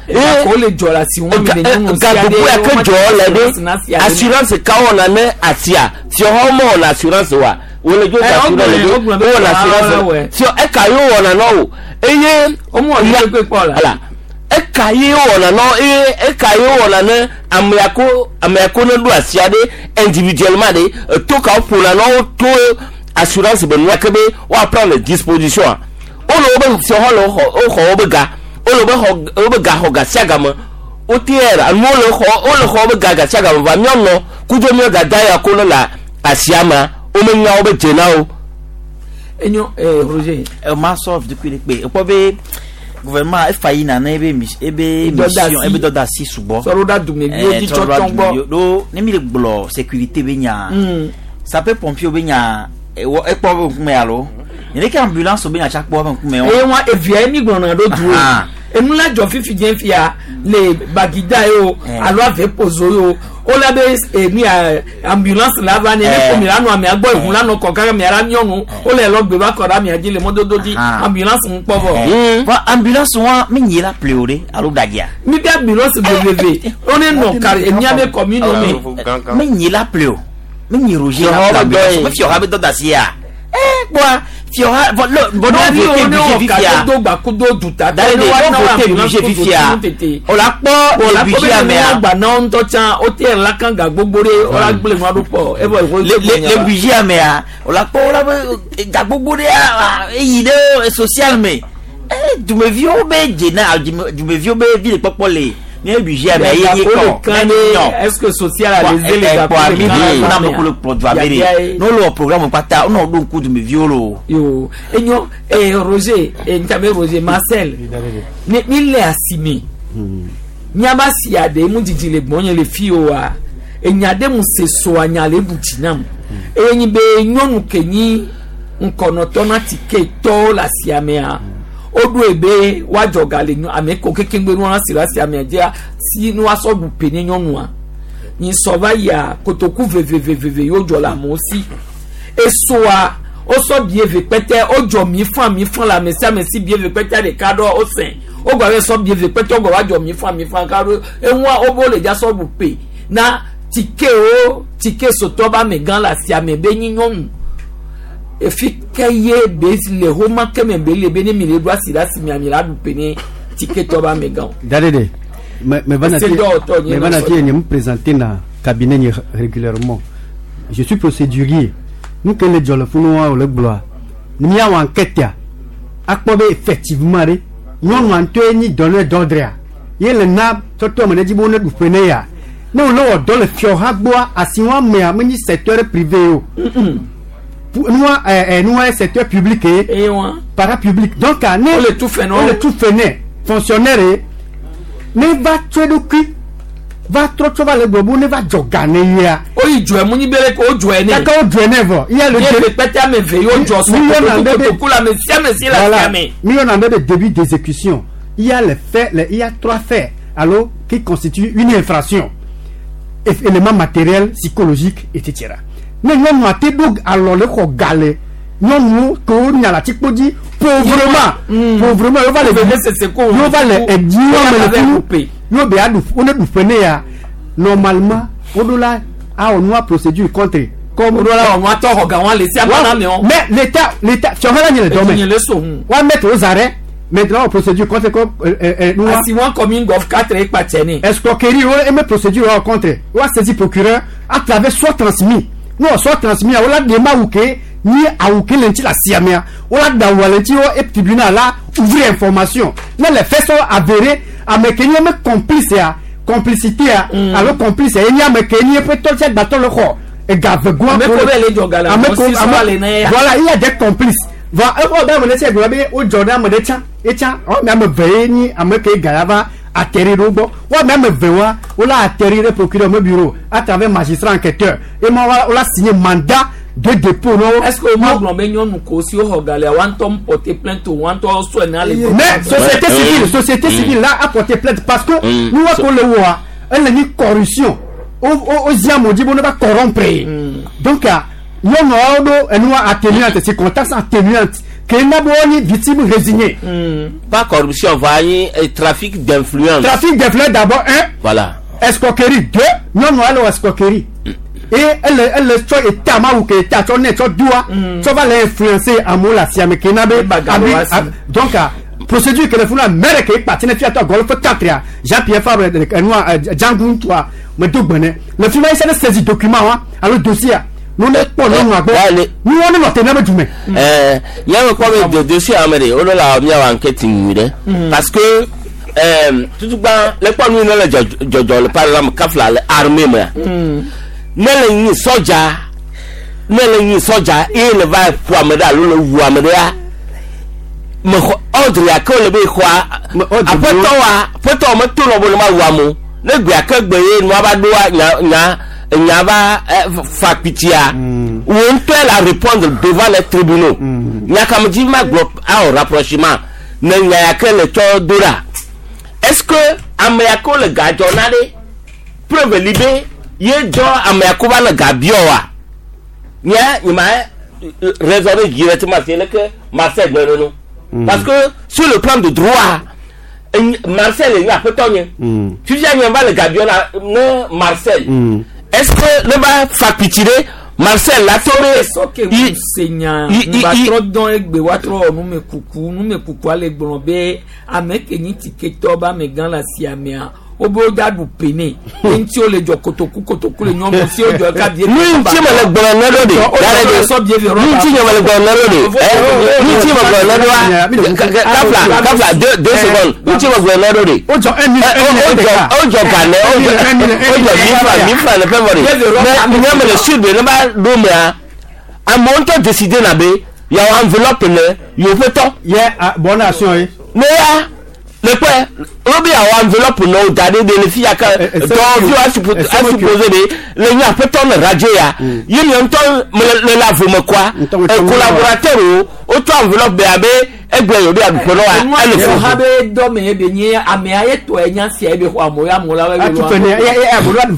Gako le dzɔ le asi wɔn mi le nyɔnu sia gagbogbo ya ke dzɔ le ɖe assurance ka wɔna ne asia fiɔhawo mewɔna assurance wa wole dzo da assurance le ɖo wowɔna assurance fiɔ eka ye wowɔna na wo eye. Voilà. Eka ye wɔna nɔ eye eka ye wɔna ne amea ko ne ɖo asia ɖe individuellement ɖe eto kawo ƒona na wo to assurance be nua ke be woa prendre disposition a wole wobe fiɔxɔ le woxɔ woxɔ wobe ga wole wobe xɔ wobe ga xɔ ga sia game woteɛ nuwo le xɔ wole xɔ wobe ga ga sia game va míanɔ kudo míɔ dada ya ko ne le asia mea womenya wobe dze na wo. Enyo Roger. Ma sɔ vidukui ɖe kpe ekpɔ be gouvernement efa yina na ebe ebe mission ebe dɔdeasi sugbɔ. Sɔrɔ ɖa dumeviwo dzi tsɔtsɔ gbɔ. Ɖo ne mi le gblɔ sécurité be nya. Sapeur pompier be nya ekpɔ be ŋkume alo. Nene ke ambulance be nya tsa kpɔ be ŋkume. Eye wa evia ye mi gblɔna ɖo du o. Enu la dzɔ fifi dze fia le Bagida ye o alo ave pozo ye o. Wola be enu ya ambulance la va ne ne ko mi la nɔ amea gbɔ eʋu la nɔ kɔ kaka mia la nyɔnu wole lɔ gbe va kɔ ɖe amea dzi le mɔdodo dzi ambulance ŋu kpɔ vɔ. Vɔ ambulance wa mi nyi la ple o de alo ɖadzia. Mi be ambulance veveve wone nɔ kari emia be commune me. Mi nyi la ple o mi nyi Roger la ple ambulance mi fiɔha be dɔdeasi ya. Kpɔa fiɔha vɔ le bɔn ne vote budget fifia. Do gbakudo duta. Dari de ne vote budget fifia o la kpɔ le budget mea. Gba na ŋutɔ tsã o te la kan ga gbogbo ɖe o la gblẽ nua ɖo kpɔ evɔ le budget mea o la kpɔ o la be ga gbogbo ɖe eyi ɖe social me dumeviwo be dzena dumeviwo be vi le kpɔkpɔ le ne budget mea ye ye kɔ. Est-ce que social a les les kpɔ mi na me ko le kplɔ dua be de n'o le wɔ programme kpata o n'o ɖo ŋku dumeviwo lo. Yo enyo Roger ntabe Roger Marcel ne mi le asime miaba si aɖe mu didi le gbɔnye le fi oa enya ɖe mu se soa nya le ɖu dzi nam eye nyi be nyɔnu ke nyi ŋkɔnɔtɔ na tike tɔwo le asia mea woɖoe be woadzɔ ga le ame ko kekeŋgbe nua si le asia mea dzia si nua sɔ ɖu pe ne nyɔnua nyi sɔ va yia kotoku veveveveve yewo dzɔ le amewo si esoa wosɔ bie ve kpɛtɛ wodzɔ mi fã mi fã le ame sia ame si bie ve kpɛtɛ ɖeka ɖɔ wosẽ wogba be sɔ bie ve kpɛtɛ wogba va dzɔ mi fã mi fã ka ɖo eŋua wobe wole dza sɔ ɖu pe na tikewo tike sotɔ ba amegã le asia me be nyi nyɔnu efi ke ye be le xoma ke me be le be ne mi le ɖo asi ɖe asi mia mi la ɖu pe ne tiketɔ ba amegã o. Dadede, me va na me présenter na cabinet régulièrement. Je suis procédurier. Nous que les jolofunu o le gblɔa ni míawɔ enquête ya akpɔ be effectivement ɖe nyɔnua ŋutɔe nyi donneur d'ordre ya ye le na tɔtɔ me ne dzi be wone ɖu ƒe ne ya ne wòle wɔ dɔ le fiɔha gbɔa asiwa mea menyi secteur privé o nua nua secteur public ye parapublic donc ne wole tu fɛ wole tu fɛ nɛ fonctionnaire ye ne va tso eɖokui va trɔ tso va le gbɔ bo ne va dzɔ ga ne yia. o yi jɔ mu ni bere ko o jɔ ne. kaka o jɔ ne vɔ. Iye le kpɛtɛ ame ve y'o jɔ sɔn kotoku la ame sia ame si la sia me. Mi yɔ na be début d'exécution il y a les faits il y a trois faits alors qui constituent une infraction élément matériel psychologique etc. Ne nyɔnu ate ɖo alɔ le xɔ ga le nyɔnuwo ke wo nya le atikpo dzi pauvrement pauvrement yova le yova le ediwo me le funu yo be aɖu wo ne ɖu ƒe ne ya normalement woɖo la awɔ nua procédure contre comme woɖo la wɔn atɔ xɔ ga wɔn le si amana mi wɔn. Mais l'état l'état fiɔhã la nye le dɔ me wa mettre aux arrêts maintenant procédure contre comme nua. Asi wɔn commune gɔf quatre ekpa ne. Escroquerie wo eme procédure wa contre wa saisi procureur à travers soit transmis n'o soit transmis wo la de ma wu ke ni awu ke le ŋuti le asia mea wo la da wɔ le ŋuti wo et tribunal la ouvrir information ne les faits sont avérés ame ke nye me complice ya complicité ya alo complice ya ye nye ame ke nye ƒe tɔ tse gbatɔ le xɔ ega vegoa ame ko be le dzɔ ga le ame ko ame voilà il y a des complices va eƒe be ame ɖe tse gblɔ be wodzɔ ɖe ame ɖe tsã etsã ame ame eve ye nyi ame ke ga ya va atterrir ɖe wo gbɔ wo ame ame eve wa wo la atterrir ɖe procureur me bureau à travers magistrat enquêteur et ma wo la signer mandat de dépôt no. Est-ce que o ma gblɔ be nyɔnu ko si woxɔ ga lea wa ŋutɔ porter plainte o wa ŋutɔ sɔe na le. Mais société civile là a porté plainte parce que nous wa ko le wɔa ele nyi corruption o o zi amewo dzi be ne va corrompre donc nyɔnuawo ɖo enua atténuante circonstance atténuante ke na be wo nyi victime résignée. Pas corruption va nyi trafic d'influence. Trafic d'influence d'abord un. Voilà. Escroquerie deux nyɔnua le wɔ escroquerie. Et elle tsɔ eta ma wu ke eta tsɔ ne tsɔ doa tsɔ va le influencer amewo le asia me ke na be abi donc procédure ke le funu mɛrɛ ke kpati ne fiatɔ agɔlɔ fɛ katria Jean Pierre Fabre enua Django ŋutua me do gbe ne le fi ma yi se ne saisi document wa alo dossier Nu ne kpɔ nyɔnua gbɔ. Nu wɔn ne nɔ te ne be dume. Ɛɛ yàrá kọ́ mi dodo sí àwọn ọmọdé ó lọ́la mi àwọn enquête nyui ɖe parce que tutugba le kpɔ nu yi ne le dzɔdzɔ le par exemple kafla le armée mea ne le nyi sɔdza ne le nyi sɔdza eye le va ƒo ame ɖe alo le wu ame ɖea me xɔ ordre ya ke wole be xɔa aƒetɔ wa aƒetɔ me to nɔ be ne ma wu amewo ne gbe ake gbe ye nua va ɖoa nya nya nya va fa kpitsia wo ŋutɔe la répondre devant les tribunaux. Nyakame ma gblɔ awɔ rapprochement ne nya ya ke le tsɔ do ɖa. Est-ce que ame ya ke wole ga dzɔ na ɖe preuve li be ye dzɔ ame ya ke va le ga biɔ wa nye nye ma raisonner directement c'est le que Marcel gblɔ nenu parce que sur le plan de droit Marcel nye aƒetɔ nye fifia nye va le ga biɔ na ne Marcel est-ce que ne va fa kpitsi ɖe Marcel la to be sɔke mu se nya ŋgba trɔ dɔn egbe wa trɔ wɔ numekuku numekuku ale gblɔ be ame ke nyi tiketɔ be amegã le asia mea wobe wo da ɖu pene eŋuti wo le dzɔ kotoku kotoku le nyɔnu si wo dzɔ ka bie. Nu ŋuti me le gblɔ ne ɖo de yàrá de nu ŋuti nye me le gblɔ ne ɖo de ɛ nu ŋuti me gblɔ ne ɖo wa kafla kafla deux secondes nu ŋuti me gblɔ ne ɖo de. O jɔ un mille un mille o jɔ ganɛ o jɔ 1000 francs 1000 francs le fɛn fɔ de mais nye me le sûr de ne ba ɖo mea amewo ŋutɔ décider na be yawo enveloppe ne yewo ƒe tɔ. Yɛ bonne action ye. Ne ya le kpɛ wo be yawo enveloppe ne wo da ɖe de le fi ya ke dɔwɔviwo a supposer be le nye aƒetɔ le radio ya ye nye ŋutɔ me le le avome kɔa collaborateur wo wotsɔ enveloppe be abe egbe yewo be aɖuƒe nɔ wa ele fo. Ha be dɔ me ye be nye amea ye tɔ ye nya sia ye be xɔ amewo ya amewo la be. Atu fɛ ne ye ye amewo la be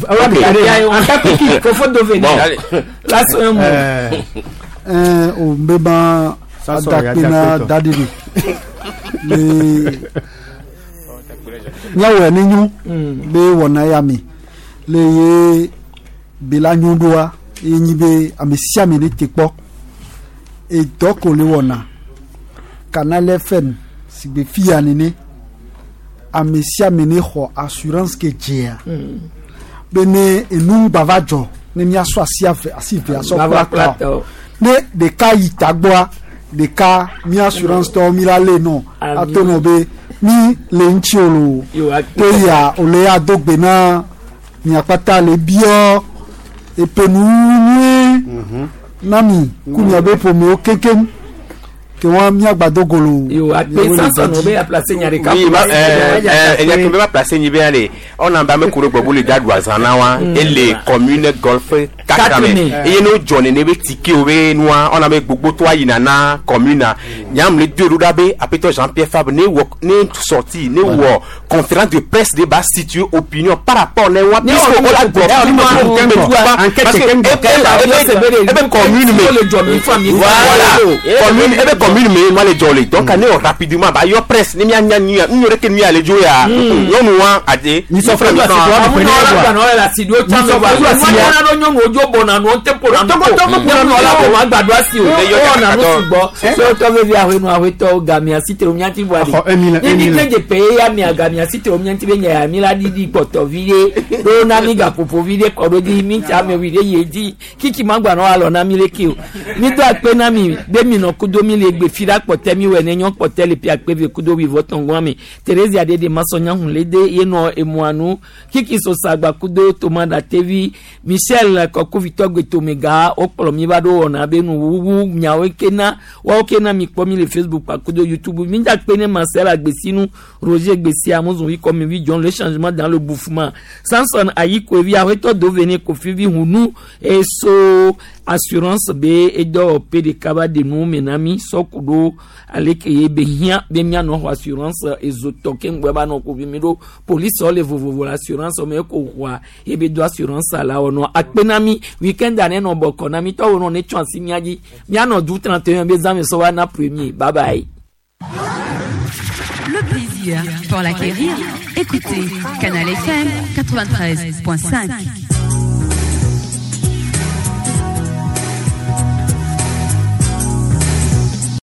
fofo do ve ne la sɔn mu. Ɛɛ o bɛ ban adakpe na daɖiɖi le míawɔe ne nyo be wɔna ya me le ye be la nyo ɖoa ye nyi be ame sia ame ne te kpɔ edɔ ko le wɔna Canal FM si gbe fia nene ame sia ame ne xɔ assurance ke dzea be ne enu ŋgba va dzɔ ne míasɔ asi ave asi ve asɔ kpla tɔ ne ɖeka yi tagbɔa ɖeka mi assurance tɔwo mi la lé nɔ ato nɔ be mi le ŋuti o lo to ya o le ya do gbe na miakpata le biɔ epenu nyuie na mi ku miabe ƒomewo kekem ke wa miagbado golo. Oui, ma enya ke be placer ni be ale on en ba me kuro gbobu le dadu azana wa et les communes golfe quatre me et no jone ne be ticket o be noa on a me gbogbo to ayina na commune nyam le deux ruda be apeto Jean-Pierre Fabre ne wo ne sorti ne wo conférence de presse débat situé opinion par rapport ne wa puisque on la parce que ebe commune me voilà commune ebe commune me moi les jolly donc on est rapidement bah yo presse ni mi anya ni ni yore ke ni ale jo ya nyɔnu wa ade ni sɔ fɛn mi la si do tsa sɔ ba nyɔnu nyɔnu ojo bɔ na nu te ƒo na nu ko nyɔnu la bɔ ma gbado asi o ɔwɔ na nu sugbɔ sɔtɔ vevi ahwenu ahwetɔ gamia si te o miati bɔ adi ni mi ke dze pe ya mia gamia si te o miati be nya ya mi la ɖiɖi kpɔtɔ vi ɖe ɖo na mi gaƒoƒo vi ɖe kɔ ɖo dzi mi tsa ame wi ɖe yi dzi kiki ma gba nɔ alɔ na mi leke o mi do akpe na mi be mi nɔ kudo mi le gbe fi ɖa kpɔtɛ mi wɔ ne nyɔ kpɔtɛ le pia akpe ve kudo wi vɔ tɔngɔn mi Thérésia ɖe de masɔnya hun le de ye nɔ emua nu kiki sosagba kudo tomada tevi Michel kɔkuvitɔ gbetomega wokplɔ mi va ɖo wɔna be nuwuwu miawo kena woawo kena mi kpɔ mi le Facebook kudo YouTube mi da kpe ne Marcel Agbesinu Roger Gbesi Amozon comme vi John le changement dans le bouffement Samson Ayikoevi awetɔ dovene Kofivi hunu eso assurance be edɔ PDK ba de nu mena mi sɔkudo ale ke ye be hiã be mianɔ xɔ assurance ezotɔ ke ŋgbɛ ba nɔ kovi mi ɖo police le vovovo le assurance me ko xɔa ye be do assurance la wɔnɔ akpe na mi weekend ane nɔ bɔkɔ na mi tɔwo nɔ ne tsɔ asi mia dzi mianɔ du 31 be zãme sɔ va na premier bye bye. Le plaisir pour l'acquérir, écoutez Canal FM 93.5.